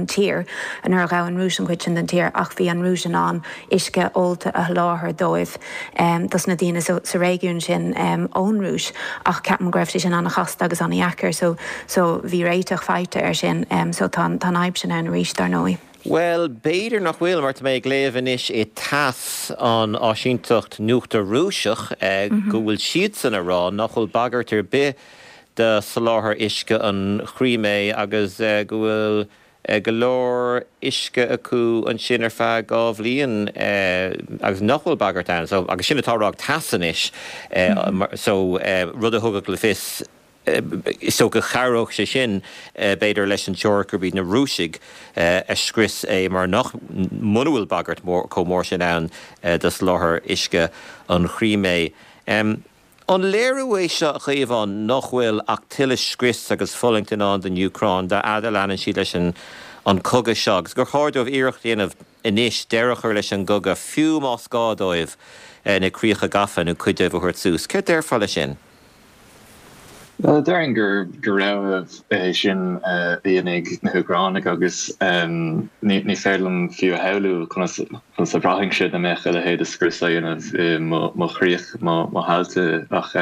tír, nuair a ghabh an Rúis an chuid sin den tír ach bhí an Rúis in ann uisce ólta a sholáthar dóibh, dos na daoine sa réigiún sin ón Rúis ach ceapaim go raibh sé sin an-chasta agus an-dheacair so so bhí réiteach faighte air sin so tá an fhadhb sin ann arís dar ndóigh.
Bhuel, b'fhéidir nach bhfuil, mar tá mé ag léamh anois i TASS, an áisínteacht nuachta Rúiseach, go bhfuil siadsan ag rá nach bhfuil bagairt ar bith do soláthar uisce an Chrímé agus go bhfuil go leor uisce acu ansin ar feadh dhá bhliain agus nach bhfuil bagairt ann. So, agus sin atá á rá ag TASS anois, so rud a thugadh le fios, Is dócha chabhródh sé sin, b'fhéidir, leis an teoiric gurb iad na Rúisigh a scrios é mar nach, muna bhfuil bagairt chomh mór sin ann do soláthar uisce an Chrímé. An léiriú é seo, a Chaomháin, nach bhfuil ach tuilleadh scrios agus fulaingt i ndán don Úcráin dá fhad a leanann siad leis an cogadh seo agus gur chóir dóibh iarracht a dhéanamh anois deireadh a chur leis an gcogadh, fiú más gá dóibh na críocha gafa nó cuid dóibh a thabhairt suas? Céard déarfá leis sin?
Bhuel, déarfainn gur rogha é sin a dhéanfaidh na hÚcránaigh agus ní féidir liom fiú a shamhlú conas a bhraithfeadh sé dá mbeadh a leithéid de scrios á dhéanamh i mo chríoch, mo thailte. Ach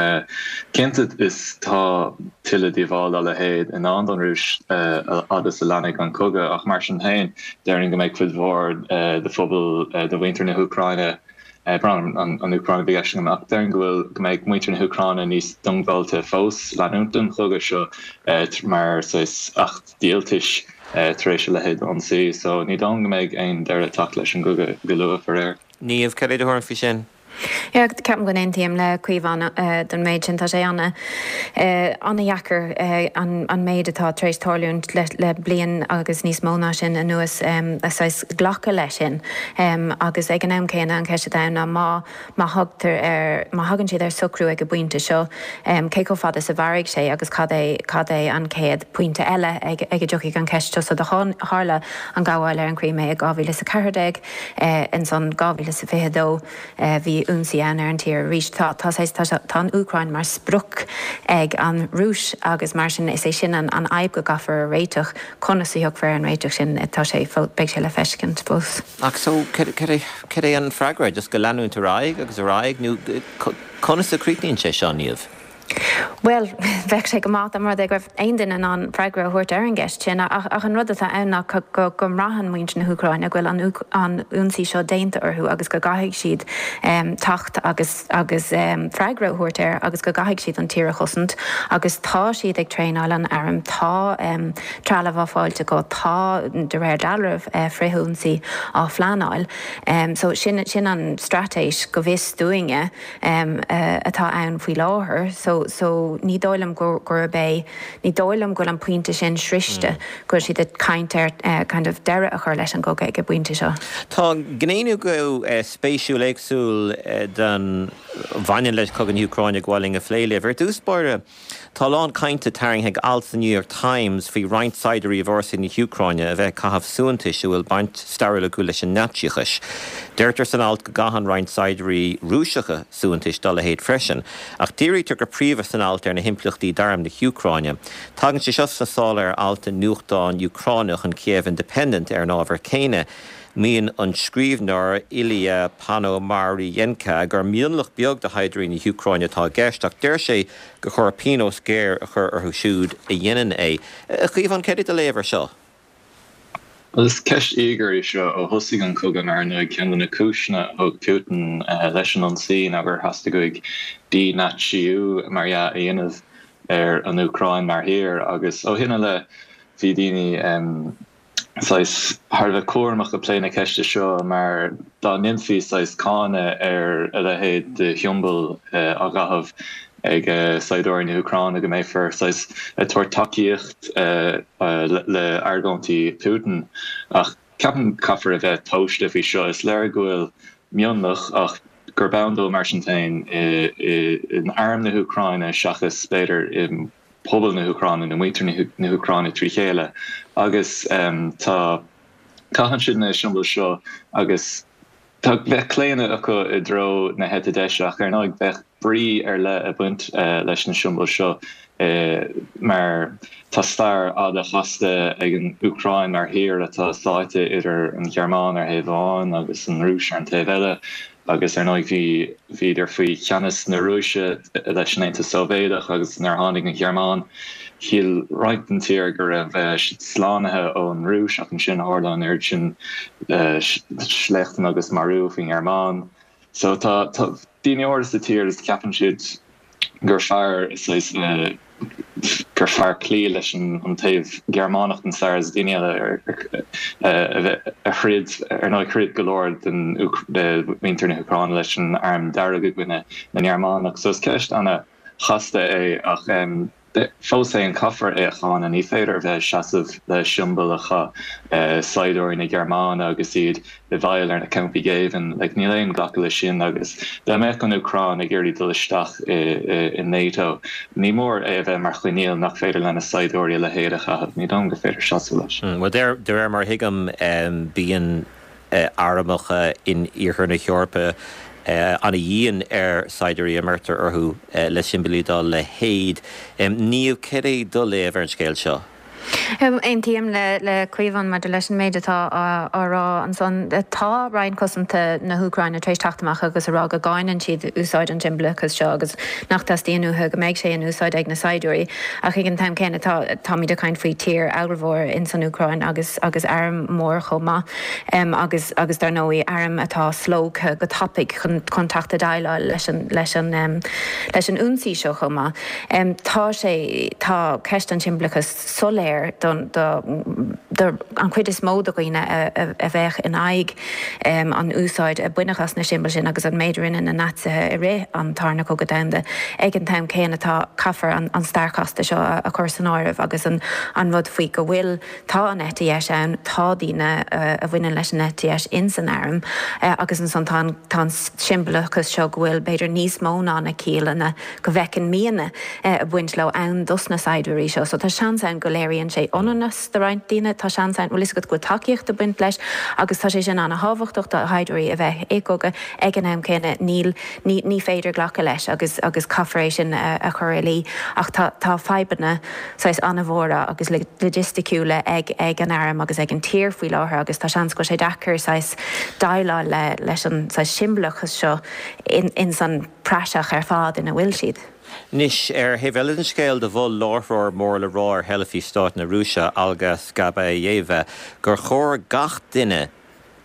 cinnte is tá tuilleadh díobháil dá leithéid i ndán don Rúis a fhad is a leanfaidh an cogadh ach mar sin féin, déarfainn go mbeidh cuid mhór de phobal, de mhuintir na hÚcráine, Brón orm, an Úcráin a bhí i gceist agam, ach déarfainn go bhfuil, go mbeidh muintir na hÚcráine níos diongbháilte fós leanúint den chogadh seo mar saghas acht díoltais tar éis a leithéid d'ionsaí. So ní dóigh liom go mbeidh aon deireadh ag teacht leis an gcogadh go luath, faraor.
Niamh, cad é do thuairim faoi sin?
Yeah, ceapaim go n-aontaím le Caomhán don méid sin. Tá sé an-dheacair an méid atá tar éis tarlúint le bliain agus níos mó ná sin anuas a saghas glacadh leis sin. Agus ag an am céanna an cheist atá ann ná má má thugtar ar má thagann siad ar socrú ag an bpointe seo, cé chomh fada is a mhairfidh sé agus cad é cad é an chéad pointe eile ag ag a dtiocfaidh an cheist seo. So do tharla an gabháil ar an Chrimé i dhá mhíle is a ceathair déag, ansan dhá mhíle is a fiche dó bhí ionsaí ann ar an tír arís. Tá tá tá tá an Úcráin mar sprioc ag an Rúis agus mar sin is é sin an an fhadhb go gcaithfear a réiteach. Conas a thiocfar ar an réiteach sin tá sé beidh sé le feiscint fós.
Ach so cad é an freagra just go leanúint ar aghaidh agus ar aghaidh nó conas a chríochnaíonn sé seo Niamh?
Well, bheadh sé go maith dá mba rud é go raibh aon duine in ann freagra a thabhairt ar an gceist sin, ach ach an rud atá ann ná go go mbraitheann muintir na hÚcráine go bhfuil an an ionsaí seo déanta orthu agus go gcaithfidh siad teacht agus agus freagra a thabhairt air agus go gcaithfidh siad an tír a chosaint agus tá siad ag traenáil an airm, tá trealamh á fáilt acu, tá de réir dealraimh frithionsaí á phleanáil. So sin sin an straitéis go bhfios dúinne atá ann faoi láthair. So so ní dóigh liom gurb é ní dóigh liom go bhfuil an pointe sin sroichte go bhfuil siad ag caint ar kind of deireadh a chur leis an gcogadh ag an bpointe seo.
Tá gné nua spéisiúil éagsúil den bhaineann le cogadh na hÚcráine ag gabháil a phlé libh. Ar dtús báire, tá a lán cainte tarraingthe ag alt sa New York Times faoi roinnt saighdiúirí i bhfórsaí na hÚcráine a bheith ag caitheamh suaitheantais a bhfuil baint stairiúil acu leis an Naitsíochas. Deirtear san alt go gcaitheann roinnt saighdiúirí Rúiseacha suaitheantais dá leithéid freisin, ach dírítear go príomha san alt ar na himpleachtaí d'arm na hÚcráine. Tagann sé seo sna sála ar alt i nuachtán Úcránach an Kiev Independent ar an ábhar céanna. Maíonn an scríbhneoir Ilya Ponomarenko gur mionlach beag de shaighdiúirí na hÚcráine atá i gceist, ach deir sé gur chóir pionós géar a chur orthu siúd a dhéanann é. A Chaomháin, céard é do léamh air seo?
Bhuel, is ceist íogair í seo ó thosaigh an cogadh mar ar ndóigh ceann de na cúiseanna a thug Putin leis an ionsaí ná gur theastaigh uaidh dí-Naitsíú, mar dhea, a dhéanamh ar an Úcráin mar thír agus ó shin i leith bhí daoine saghas thar a bheith cúramach ag plé na ceiste seo mar dá ndéanfaí saghas cáineadh ar a leithéid de shiombail á gcaitheamh ag saighdiúirí na hÚcráine go mbeifear saghas ag tabhairt tacaíocht le argóintí Putin. Ach ceapaim caithfear a bheith tomhaiste faoi seo. Is léir go bhfuil mionlach ach gurb ann dó mar sin féin in arm na hÚcráine seachas b'fhéidir i pobal na hÚcráine nó muintir na hÚcráine trí chéile agus tá caitheann siad na siombail seo agus tá bheadh claonadh acu i dtreo na heite deise ach ar ndóigh bheadh brí ar leith ag baint leis na siombail seo mar tá stair fhada chasta ag an Úcráin mar thír atá sáite idir an Ghearmáin ar thaobh amháin agus an Rúis ar an taobh eile. Agus ar ndóigh bhí bhíodar faoi cheannas na Rúise leis an Aontas Sóivéadach agus nuair a tháinig an Ghearmáin shíl roinnt den tír go raibh siad slánaithe ón Rúis ach ansin tharla an oiread sin sléachtanna agus marú faoin nGearmáin. So tá tá daoine áirithe sa tír is ceapann siad gur fearr saghas gur fearr cloí leis an taobh Gearmánach den stair is daoine eile a throid, ar ndóigh throid go leor de mhuintir na hÚcráine leis an Arm Dearg i gcoinne na nGearmánach. So is ceist ana-chasta é ach fós féin caithfear é a cháineadh. Ní féidir a bheith ag seasamh le siombail a chaith saighdiúirí na Gearmáine agus iad i bhfeighil ar na campaí géibhinn. Like, níl aon ghlacadh leis sin agus dá mbeadh an Úcráin ag iarraidh dul isteach i NATO, ní mór é a bheith mar choinníoll nach féidir lena saighdiúirí a leithéid a chaitheamh. Ní dóigh liom gur féidir seasamh leis.
Bhuel, de réir mar a thuigim, bíonn armacha in iarthar na hEorpa ana-dhian ar saighdiúirí a mbeirtear orthu le siombailí dá leithéid. Niamh, céard é do léamh ar an scéal seo?
Aontaím le Caomhán maidir leis an méid atá á rá ansan. Tá Roinn Cosanta na hÚcráine tar éis teacht amach agus a rá go gcáineann siad úsáid an tsiombalachais seo agus nach dteastaíonn uathu go mbeidh sé in úsáid ag na saighdiúirí. Ach ag an t-am céanna tá táimid ag caint faoi tír ábhalmhór in san Úcráin agus agus arm mór chomh maith agus agus dar ndóigh arm atá slógtha go tapaidh chun chun teacht a déileáil leis an leis an leis an ionsaí seo chomh maith. Tá sé tá ceist an tsiombalachais soiléir don do do an chuid is mó de dhaoine a bheadh in aghaidh an úsáid a baineadh as na siombail sin agus an méid a rinne na Naitsithe i rith an Tarna Cogadh Domhanda. Ag an t-am céanna tá caithfear an stair chasta seo a chur san áireamh agus an an rud faoi go bhfuil tá an eite dheis ann, tá daoine a bhaineann leis an eite dheis ins an arm agus ansan tá an tá an siombalachas seo go bhfuil b'fhéidir níos mó ná na ciallanna go bhfeicimidne ag baint leo ann dos na saighdiúirí seo. So tá seans ann go léiríonn sé ionannas do roinnt daoine, tá seans ann, bhfuil fhios agat, go bhfuil tacaíocht ag baint leis agus tá sé sin an-thábhachtach do shaighdiúirí a bheith i gcogadh ag an am céanna níl, ní, ní féidir glacadh leis agus, agus caithfear é sin a, a chur i luí ach tá, tá fadhbanna saghas an-mhóra agus loighisticiúla ag, ag an arm agus ag an tír faoi láthair agus tá seans go bhfuil sé deacair saghas déileáil le, leis an saghas siombalachas seo in, ins an praiseach ar fad ina bhfuil siad.
Anois, ar thaobh eile den scéal, do mhol láithreoir mór le rá ar theilifís stáit na Rúise, Olga Skabayeva, gur chóir gach duine,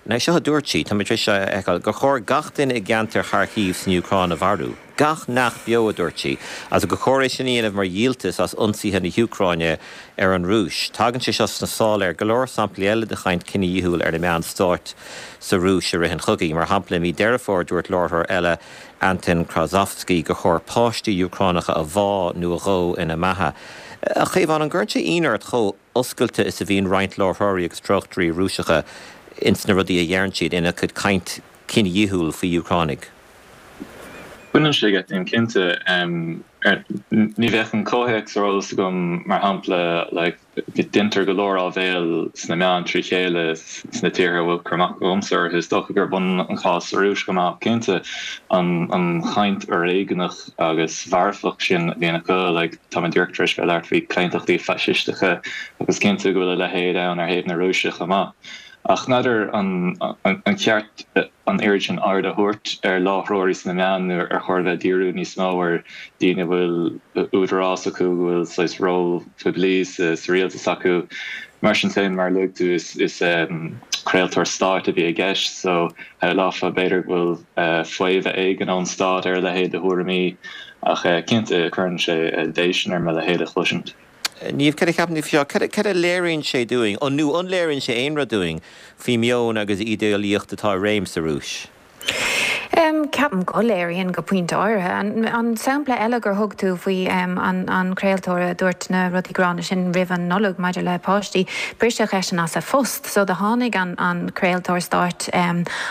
nó seo a dúirt sí, tá mé tar éis seo a fheiceáil, gur chóir gach duine i gceantar Kharkiv san Úcráin a mharú. Gach neach beo, a dúirt sí, agus gur chóir é sin a dhéanamh mar dhíoltas as ionsaithe na hÚcráine ar an Rúis. Tagann sé seo sna sála ar go leor samplaí eile de chaint cinedhíothúil ar na meáin stáit sa Rúis i rith an chogaidh. Mar shampla, i mí Deireadh Fómhair dúirt láithreoir eile, Anton Krasovsky, gur chóir páistí Úcránacha a bhá nó a dhó ina mbeatha. A Chaomháin, an gcuireann sé ionadh ort chomh oscailte is a bhíonn roinnt láithreoirí agus tráchtairí Rúiseacha ins na rudaí a dheireann siad ina gcuid caint cinedhíothúil faoi Úcránaigh?
Baineann sé geit díom cinnte. Ní bheadh an comhthéacs ar eolas agam, mar shampla, like, deintear go leor áibhéil sna meáin trí chéile sna tíortha a bhfuil cur amach agamsa orthu. Is dócha gurb ionann an cás sa Rúis chomh maith, cinnte, an an chaint fhoréigneach agus mharfach sin a bhíonn acu, like, tá mé díreach tar éis bheith ag labhairt faoi chlaontachtaí faisisteacha agus cinnte go bhfuil a leithéid ann ar thaobh na Rúise chomh maith. Ach n'fheadar an an ceart an oiread sin aird a thabhairt ar láithreoirí sna meáin nó ar chóir a bheith ag díriú níos mó ar daoine a bhfuil údarás acu, go bhfuil saghas ról poiblí sa rialtas acu. Mar sin féin, mar a luaigh tú, is craoltóir stáit a bhí i gceist so shamhlófá b'fhéidir go bhfuil faomhadh éigin ón stát ar a leithéid de thuairimí ach cinnte cuireann sé déistin orm a leithéid a chloisint.
Niamh, cad a cheapann tú faoi seo? Cad a léiríonn sé dúinn, nó an léiríonn sé aon rud dúinn, faoi meon agus ídéalaíocht atá i réim sa Rúis?
Ceapaim go léiríonn go pointe áirithe. An sampla eile gur thug tú faoi an craoltóir a dúirt na rudaí gránna sin roimh an Nollaig maidir le páistí, briseadh eisean as a phost. So do tháinig an craoltóir stáit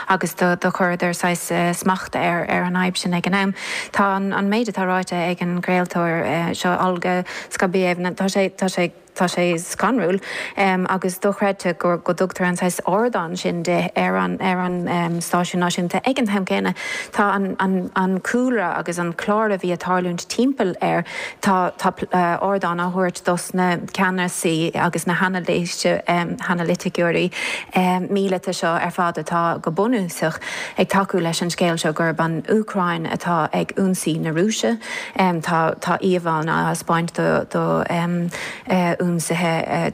agus do chuireadar saghas smacht ar an fhadhb sin ag an am. Tá an méid atá ráite ag an gcraoltóir seo, Olga Skabayeva, tá sé, tá sé, tá sé scanrúil agus dochreidte go go dtugtar an saghas ardán sin di ar an ar an stáisiún náisiúnta. Ag an t-am céanna tá an an an cúlra agus an clár a bhí ag tarlúint timpeall air, tá tá ardán á thabhairt dos na ceannasaí agus na hanailíse hanailiticeoirí míleata seo ar fad atá go bunúsach ag tacú leis an scéal seo gurb an Úcráin atá ag ionsaí na Rúise. Tá tá íomhánna á thaispeáint do do ionsaithe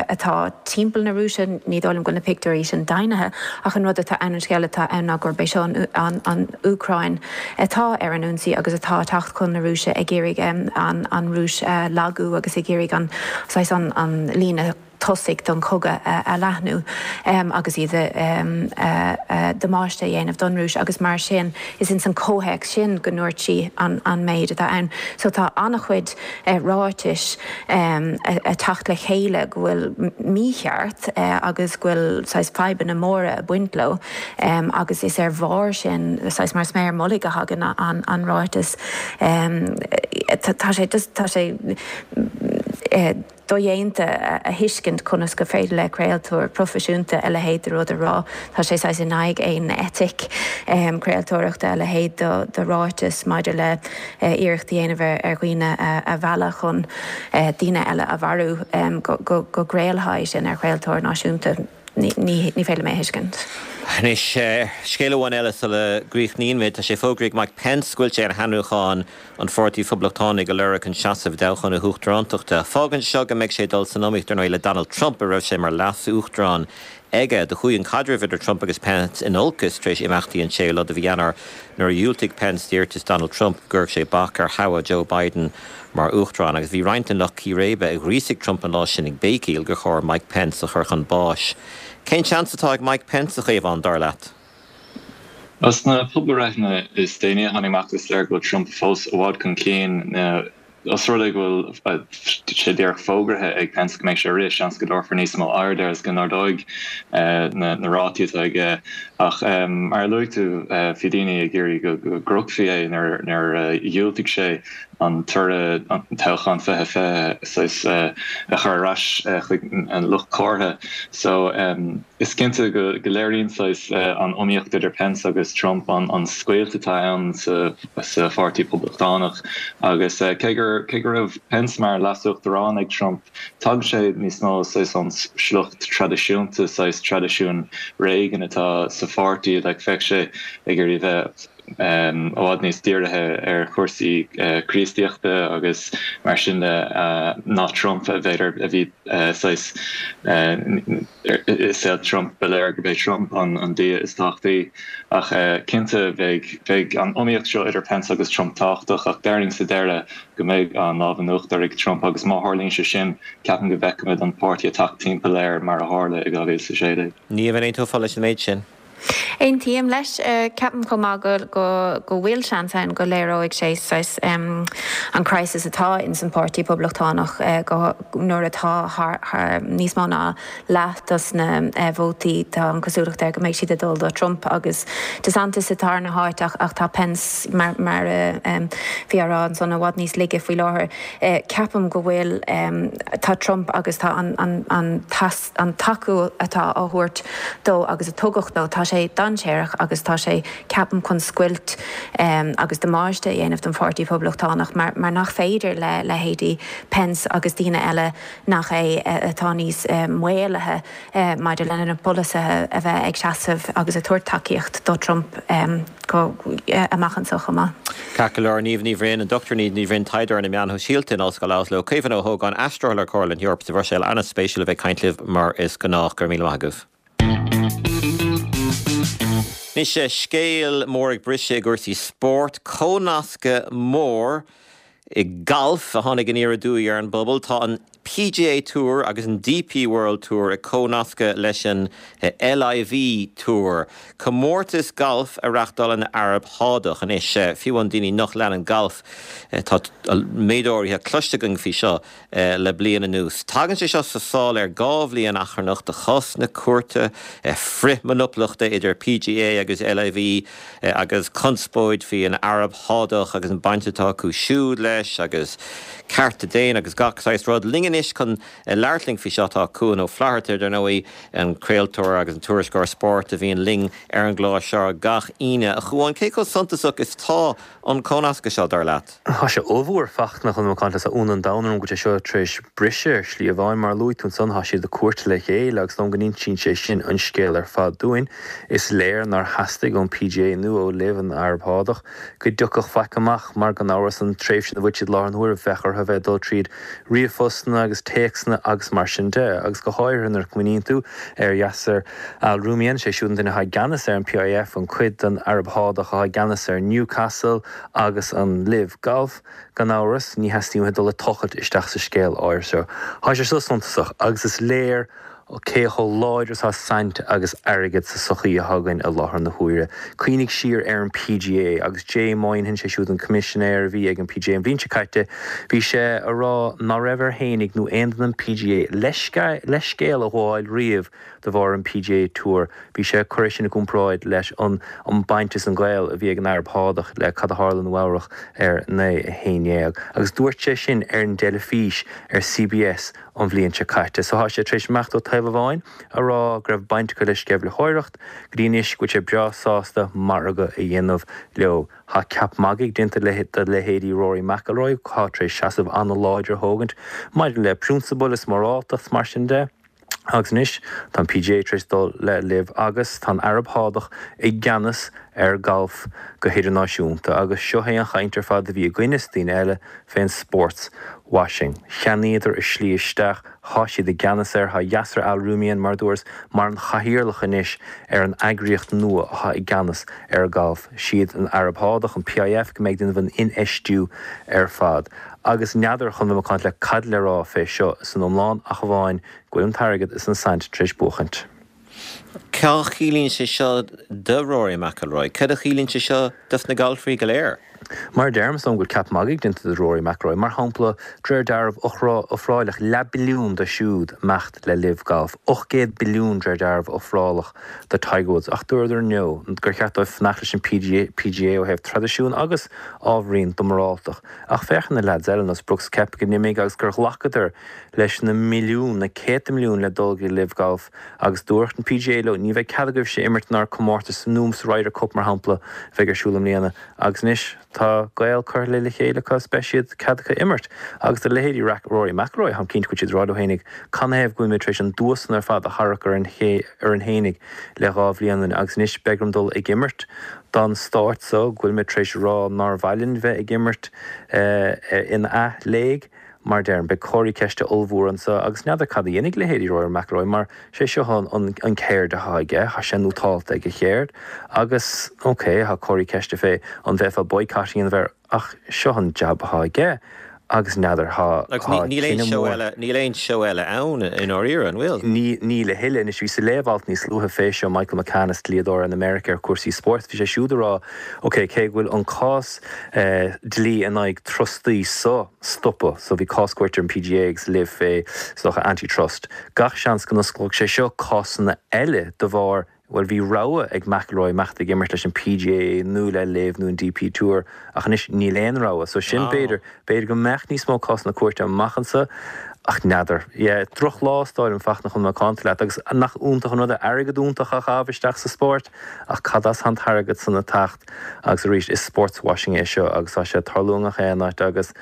atá timpeall na Rúise. Ní dóigh liom go bhfuil na pictiúirí sin deimhnithe ach an rud atá ann, an scéal atá ann ná gurb é seo an an Úcráin atá ar an ionsaí agus atá ag teacht chun na Rúise ag iarraidh an an Rúis a lagú agus ag iarraidh an saghas an an líne tosaigh don chogadh a leathnú agus iad damáiste a dhéanamh don Rúis agus mar sin is ins an comhthéacs sin go ndúirt sí an an méid atá ann. So tá an-chuid ráitis ag teacht le chéile go bhfuil mícheart agus go bhfuil saghas fadhbanna móra ag baint leo agus is ar bharr sin saghas mar sméar mullaigh a thagann an an ráiteas. Tá sé just tá sé dodhéanta a thuiscint conas gur féidir le craoltóir proifisiúnta a leithéid de rud a rá. Tá sé saghas in aghaidh aon eitic craoltóireachta a leithéid de ráiteas maidir le iarracht a dhéanamh ar dhaoine a mhealladh chun daoine eile a mharú go gcraolfaí sin ar chraoltóir náisiúnta. Ní féidir liom é a thuiscint.
Anois, scéal amháin eile sula gcríochnaíonn muid, tá sé fógraithe ag Mike Pence go bhfuil sé ar hainmniúchán an Pháirtí Phoblachtánigh a lorg chun seasamh i dtoghchán na huachtarántachta. Fágann seo go mbeidh sé ag dul san iomaíocht, ar ndóigh, le Donald Trump, a raibh sé mar leas-uachtarán aige. Do chuaigh an caidreamh idir Trump agus Pence in olcas tar éis imeachtaí an séú lá de mhí Eanáir nuair a dhiúltaigh Pence d'iarratas Donald Trump go gcuirfeadh sé bac ar thoghadh Joe Biden mar uachtarán agus bhí roinnt den lucht círéibe a ghríosaigh Trump an lá sin ag béicíl gur chóir Mike Pence a chur chun báis. Cén seans atá ag Mike Pence, a Chaomháin, dar leat?
Sna pobalbhreitheanna is déanaí a tháinig amach is léir go bhfuil Trump fós i bhfad chun cinn. Os rud é go bhfuil sé díreach fógraithe ag Pence go mbeidh sé ag rith, seans go dtabharfar níos mó aird air agus go n-ardóidh na rátaí atá aige. Ach mar a luaigh tú, bhí daoine ag iarraidh go gcrochfaí é nuair a dhiúltaigh sé an toradh an toghchán fiche fiche saghas a chur ar ais chuig an lucht comhartha. So is cinnte go léiríonn saghas an iomaíocht idir Pence agus Trump an scoilt atá ann sa Pháirtí Poblachtánach agus cé gur cé go raibh Pence mar leasuachtarán ag Trump, tagann sé níos mó saghas ón sliocht traidisiúnta, saghas traidisiún Reagan atá sa pháirtí, like bheadh sé ag iarraidh bheith i bhfad níos dírithe ar chúrsaí Críostaíochta agus mar sin de ná Trump, b'fhéidir, a bhí saghas i saol Trump, ba léir gurb é Trump an dia is tábhachtaí. Ach cinnte bheidh bheidh an iomaíocht seo idir Pence agus Trump tábhachtach ach déarfainn sa deireadh go mbeidh an lámh in uachtar ag Trump agus má tharlaíonn sé sin ceapaim go bhfeicfimid an páirtí ag teacht timpeall air mar a tharla i dhá mhíle is a sé déag.
Niamh, an aontófá leis an méid sin?
Aontaím leis. Ceapaim chomh maith go go bhfuil seans ann go léireoidh sé saghas an crisis atá ins an Páirtí Poblachtánach go nuair atá thar níos mó ná leath dos na vótaí tá an cosúlacht air go mbeidh siad ag dul do Trump agus DeSantis atá ina háit ach ach tá Pence mar mar a bhí á rá ansan i bhfad níos laige faoi láthair. Ceapaim go bhfuil tá Trump agus tá an an an an tacú atá á thabhairt dó agus a tugadh dó, tá sé dainséarach agus tá sé, ceapaim, chun scoilt agus damáiste a dhéanamh don Pháirtí Poblachtánach mar mar nach féidir le leithéidí Pence agus daoine eile nach é atá níos maolaithe maidir lena bpolasaithe a bheith ag seasamh agus ag tabhairt tacaíocht do Trump go amach anseo chomh maith.
Ceart go leor, Niamh Ní Bhroin, an Dochtúir Niamh Ní Bhroin, taighdeoir ar na meáin shóisialta in Ollscoil Oslo, Caomhán Ó hÓgáin, aistritheoir le Comhairle na hEorpa sa Bhruiséil, an-spéisiúil a bheith ag caint libh mar is gnách. Go raibh míle maith agaibh. Anois, scéal mór ag briseadh i gcúrsaí spóirt, comhnascadh mór i ngalf a tháinig aniar aduaidh ar an bpobal. Tá an P G A Tour agus an D P World Tour ag comhnascadh leis an L I V Tour, comórtas galf a reáchtálann an Araib Shádach. Anois, fiú amháin daoine nach leanann galf, tá méid áirithe cloiste againn faoi seo le bliain anuas. Tagann sé seo sa sáil ar dhá bhliain achrannach de chás na cúirte frithmhonaplachta idir P G A agus L I V agus conspóid faoi an Araib Shádach agus an baint atá acu siúd leis agus cearta daonna agus gach saghas rud. Linn anois chun labhairt linn faoi seo tá Cuan Ó Flatharta, dar ndóigh, an craoltóir agus an tuairisceoir spóirt a bhíonn linn ar an gclár seo gach Aoine. A Chuáin, cé chomh suntasach is tá an cónascadh seo dar leat?
Tá sé ollmhór Fachtna chun macánta sa ionadh an domhain orm go bhfuil sé seo tar éis briseadh ar shlí amháin mar luaigh tú ansan tá siad i gcúirt le chéile agus dom go n-insíonn sé sin an scéal ar fad dúinn. Is léir nár theastaigh ón P G A nó ó LIV an Araib Shádach go dtiocfadh faic amach mar gan amhras an tréimhse na bhfuil siad láthair na huaire bheadh orthu bheith dul tríd ríomhphostanna agus téacsanna agus mar sin de agus go háirithe nuair a chuimhníonn tú ar Yasser Al Rumayyan sé siúd an duine atá i gceannas ar an P I F an cuid den Araib Shádach atá i gceannas ar Newcastle agus an LIV Golf gan amhras ní theastaíonn dul ag tochailt isteach sa scéal áir seo. Tá sé seo suntasach agus is léir cé chomh láidir atá saint agus airgead sa sochaí atá againn i láthair na huaire. Cuimhnigh siar ar an P G A agus Jay Moynihan sé siúd an coimisinéir a bhí ag an P G A an bhliain seo caite, bhí sé ag rá ná raibh air féinig nó aon duine an P G A leithscéal a ghabháil riamh de bharr an P G A Tour. Bhí sé curtha sin i gcomparáid leis an an baint is an gaol a bhí ag an Araib Shádach le cad a tharla i Nua-Eabhrac ar naoi a haon déag. Agus dúirt sé sin ar an dteilifís ar C B S an bhliain seo caite. So tá sé tar éis imeacht ó taobh amháin a rá go raibh baint acu le sceimhlitheoireacht, go dtí anois go bhfuil sé breá sásta margadh a dhéanamh leo. Tá ceap magaidh déanta le de leithéidí Rory McIlroy atá tar éis seasamh an-láidir a thógaint maidir le prionsabail is moráltacht mar sin de. Agus anois, tá an PGA tar éis dul le LIV agus tá an Araib Shádach i gceannas ar ghalf go hidirnáisiúnta agus seo é an chaint ar fad a bhí againn is daoine eile fén sports washing. Cheannaíodar a slí isteach, thá siad i gceannas air, thá Yasir Al Rumayyan, mar dúras, mar an chathaoirleach anois ar an eagraíocht nua athá i gceannas ar ghalf. Siad an Araib Shádach, an PIF, go mbeidh ag déanamh an infheistiú ar fad. Agus n'fheadar chun bheith macánta leat cad le rá fé seo san iomlán ach amháin go bhfuil an t-airgead is an saint tar éis buachaint.
Cad a chiallaíonn sé seo do Rory McIlroy? Cad a chiallaíonn sé seo dos na galfairí go léir?
Mar a deirim, is dóigh liom go bhfuil ceap magaidh déanta de Rory McIlroy. Mar shampla, de réir dealraimh, ofráileach leath billiún do siúd imeacht le LIV Golf, ocht gcéad billiún de réir dealraimh ofrálach do Tiger Woods, ach dúradar no, gur cheart dóibh fanacht leis an PGA ó thaobh traidisiún agus ábhairín do moráltach. Ach féach ar na leaids eile, nós Brooks Koepka go n-imigh agus gur ghlacadar leis na milliúin, na céadta milliún le dul go LIV Golf agus dúirt an PGA leo ní bheidh cead agaibhse imirt inár comórtas nó sa Ryder Cup mar shampla a bheidh ar siúl i mbliana agus anois tá gaol curtha le chéile acu is beidh siad cead acu imirt agus do leithéidí Rory McIlroy táim cinnte go bhfuil siad ag rá leo fhéinig canathaobh go bhfuil mé tar éis an dua san ar fad a tharrac orainn fhéinig le dhá bhliain agus anois beidh orm dul ag imirt don stát so go bhfuil mé tar éis rá nár mhaith linn bheith ag imirt in ath-léig. Mar deirim, beidh comharthaí ceiste ollmhór anso agus n'fheadar cad a dhéanfaidh leithéidí Rory McIlroy mar sé seo an an ceird athá aige, thá sé nótálta ag a cheird agus ok, thá comharthaí ceiste fé an bhféadfá boycott a dhéanamh air ach seo an jab athá aige agus n'fheadar, thá
Agus níl aon
cinneadh
seó
mór.
eile, níl aon seó eile ann i ndáiríre, an bhfuil?
Níl a thuilleadh. Anois, bhí sa léamh-alt níos luaithe fé seo, Michael McCann, is dlíodóir in America ar chúrsaí spóirt, bhí sé siúd ag rá, ok, cé go bhfuil an cás dlí in aghaidh trustaí so stoptha, so bhí cás cúirte ar an PGA agus LIV fé, is dócha, antitrust, gach seans go n-osclódh sé seo cásanna eile de bharr Bhuel, bhí rogha ag McIlroy imeacht ag imirt leis an PGA nó le LIV nó an DP Tour ach anois níl aon rogha. So sin, b'fhéidir, b'fhéidir go mbeadh níos mó cásanna cúirte amach anso ach n'fheadar. Yeah, drochlá is dóigh liom, Fachtna, chun bheith macánta leat agus nach iontach an rud é airgead iontach a chaitheamh isteach sa spórt ach cad as an t-airgead san ag teacht agus arís is sportswashing é seo agus tá sé ag tarlú i ngach aon áit agus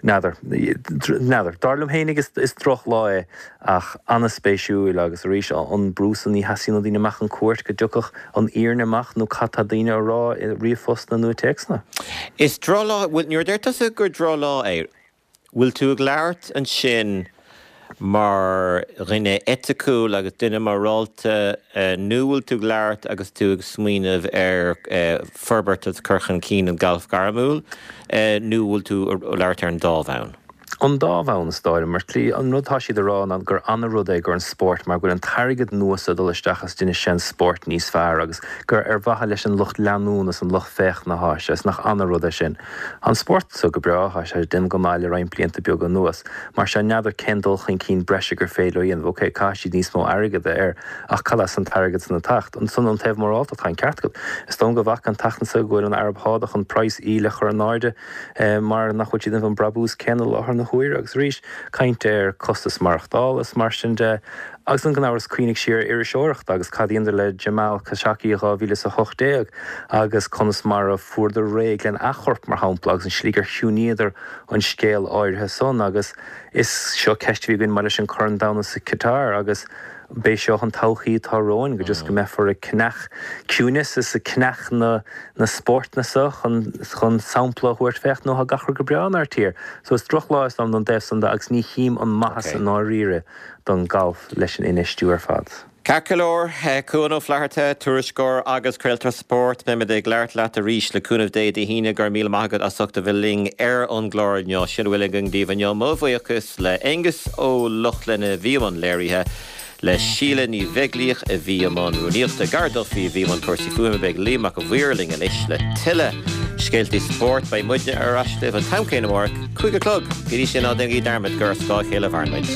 N'fheadar. N'fheadar. Dar liom fhéinig is drochlá é ach an-spéisiúil agus arís an brú san ní theastaíonn ó daoine amach chun cúirt go dtiocfadh an fhírinne amach nó cad tá daoine a rá i ríomhphostanna nó i téacsanna.
Is drochlá, bhuel nuair a deir tusa gur drochlá é, bhfuil tú ag labhairt ansin mar dhuine eiticiúil agus duine morálta nó bhfuil tú ag labhairt agus tú ag smaoineamh ar forbairt agus cur chun cinn an galf gairmiúil nó bhfuil tú ag labhairt ar an dá bhonn?
An dá bhonn is dóigh liom, mar slí. An rud atá siad a rá ná gur ana-rud é gur an spórt mar go bhfuil an t-airgead nua so ag dul isteach is déanfaidh sé an spórt níos fearr agus gur ar mhaithe leis an lucht leanúna is an lucht féachana atá sé is nach ana-rud é sin. Tá an spórt so go breá, tá sé ag déanamh go maith le roinnt blianta beaga anuas. Mar sin, n'fheadar cén dul chun cinn breise gur féidir leo a dhéanamh. Ok, caithfidh siad níos mó airgead a air, ach cad as an t-airgead san ag teacht? Ansan, ón taobh morálta, tá an ceart agat. Is dóigh liom go bhfaca an tseachtain seo go bhfuil an Araib Shádach chun praghas íle a chur in airde mar nach bhfuil siad ag déanamh an brabús céanna i láthair na huaire. Agus arís, caint ar costas maireachtála is mar sin de. Agus gan amhras cuimhnigh siar ar iriseoireacht agus cad a dheineadar le Jamal Khashoggi i dhá mhíle is a hocht déag agus conas mar a fuaireadar réidh lena chorp mar shampla agus an slí gur chiúnaíodar an scéal áirithe san agus is seo ceist a bhí againn maidir leis an Corn Domhanda sa Qatar agus b'é seo an todhchaí atá romhainn go just go mbeifear ag ceannach ciúineas is ag ceannach na na spórtanna seo chun chun sampla a thabhairt féach nó tá gach rud go breá inár tír. So is drochlá is dóigh liom don dtaobh san de agus ní chím an maitheas i ndáiríre don galf leis an infheistiú ar fad.
Ceart go leor, Cuan Ó Flatharta, tuairisceoir agus craoltóir spóirt, beimid ag labhairt leat arís le cúnamh Dé Dé hAoine. Go raibh míle maith agat as ucht a bheith linn ar an gclár inniu. Sin a bhfuil againn daoibh inniu. Mo bhuíochas le Aengus Ó Lochlainn a bhí i mbun léirithe. Le Síle Ní Bheaglaoich a bhí i mbun rúnaíochta, Gar Duffy a bhí i mbun cúrsaí fuaime, beidh Liam Mac a' Mhaoir linn anois le tuilleadh scéaltaí spóirt. Beidh muidne ar ais libh an t-am céanna amárach, cúig a chlog. Go dtí sin, ná déanaigí dearmad gur ar scáth a chéile a mhaireann muid.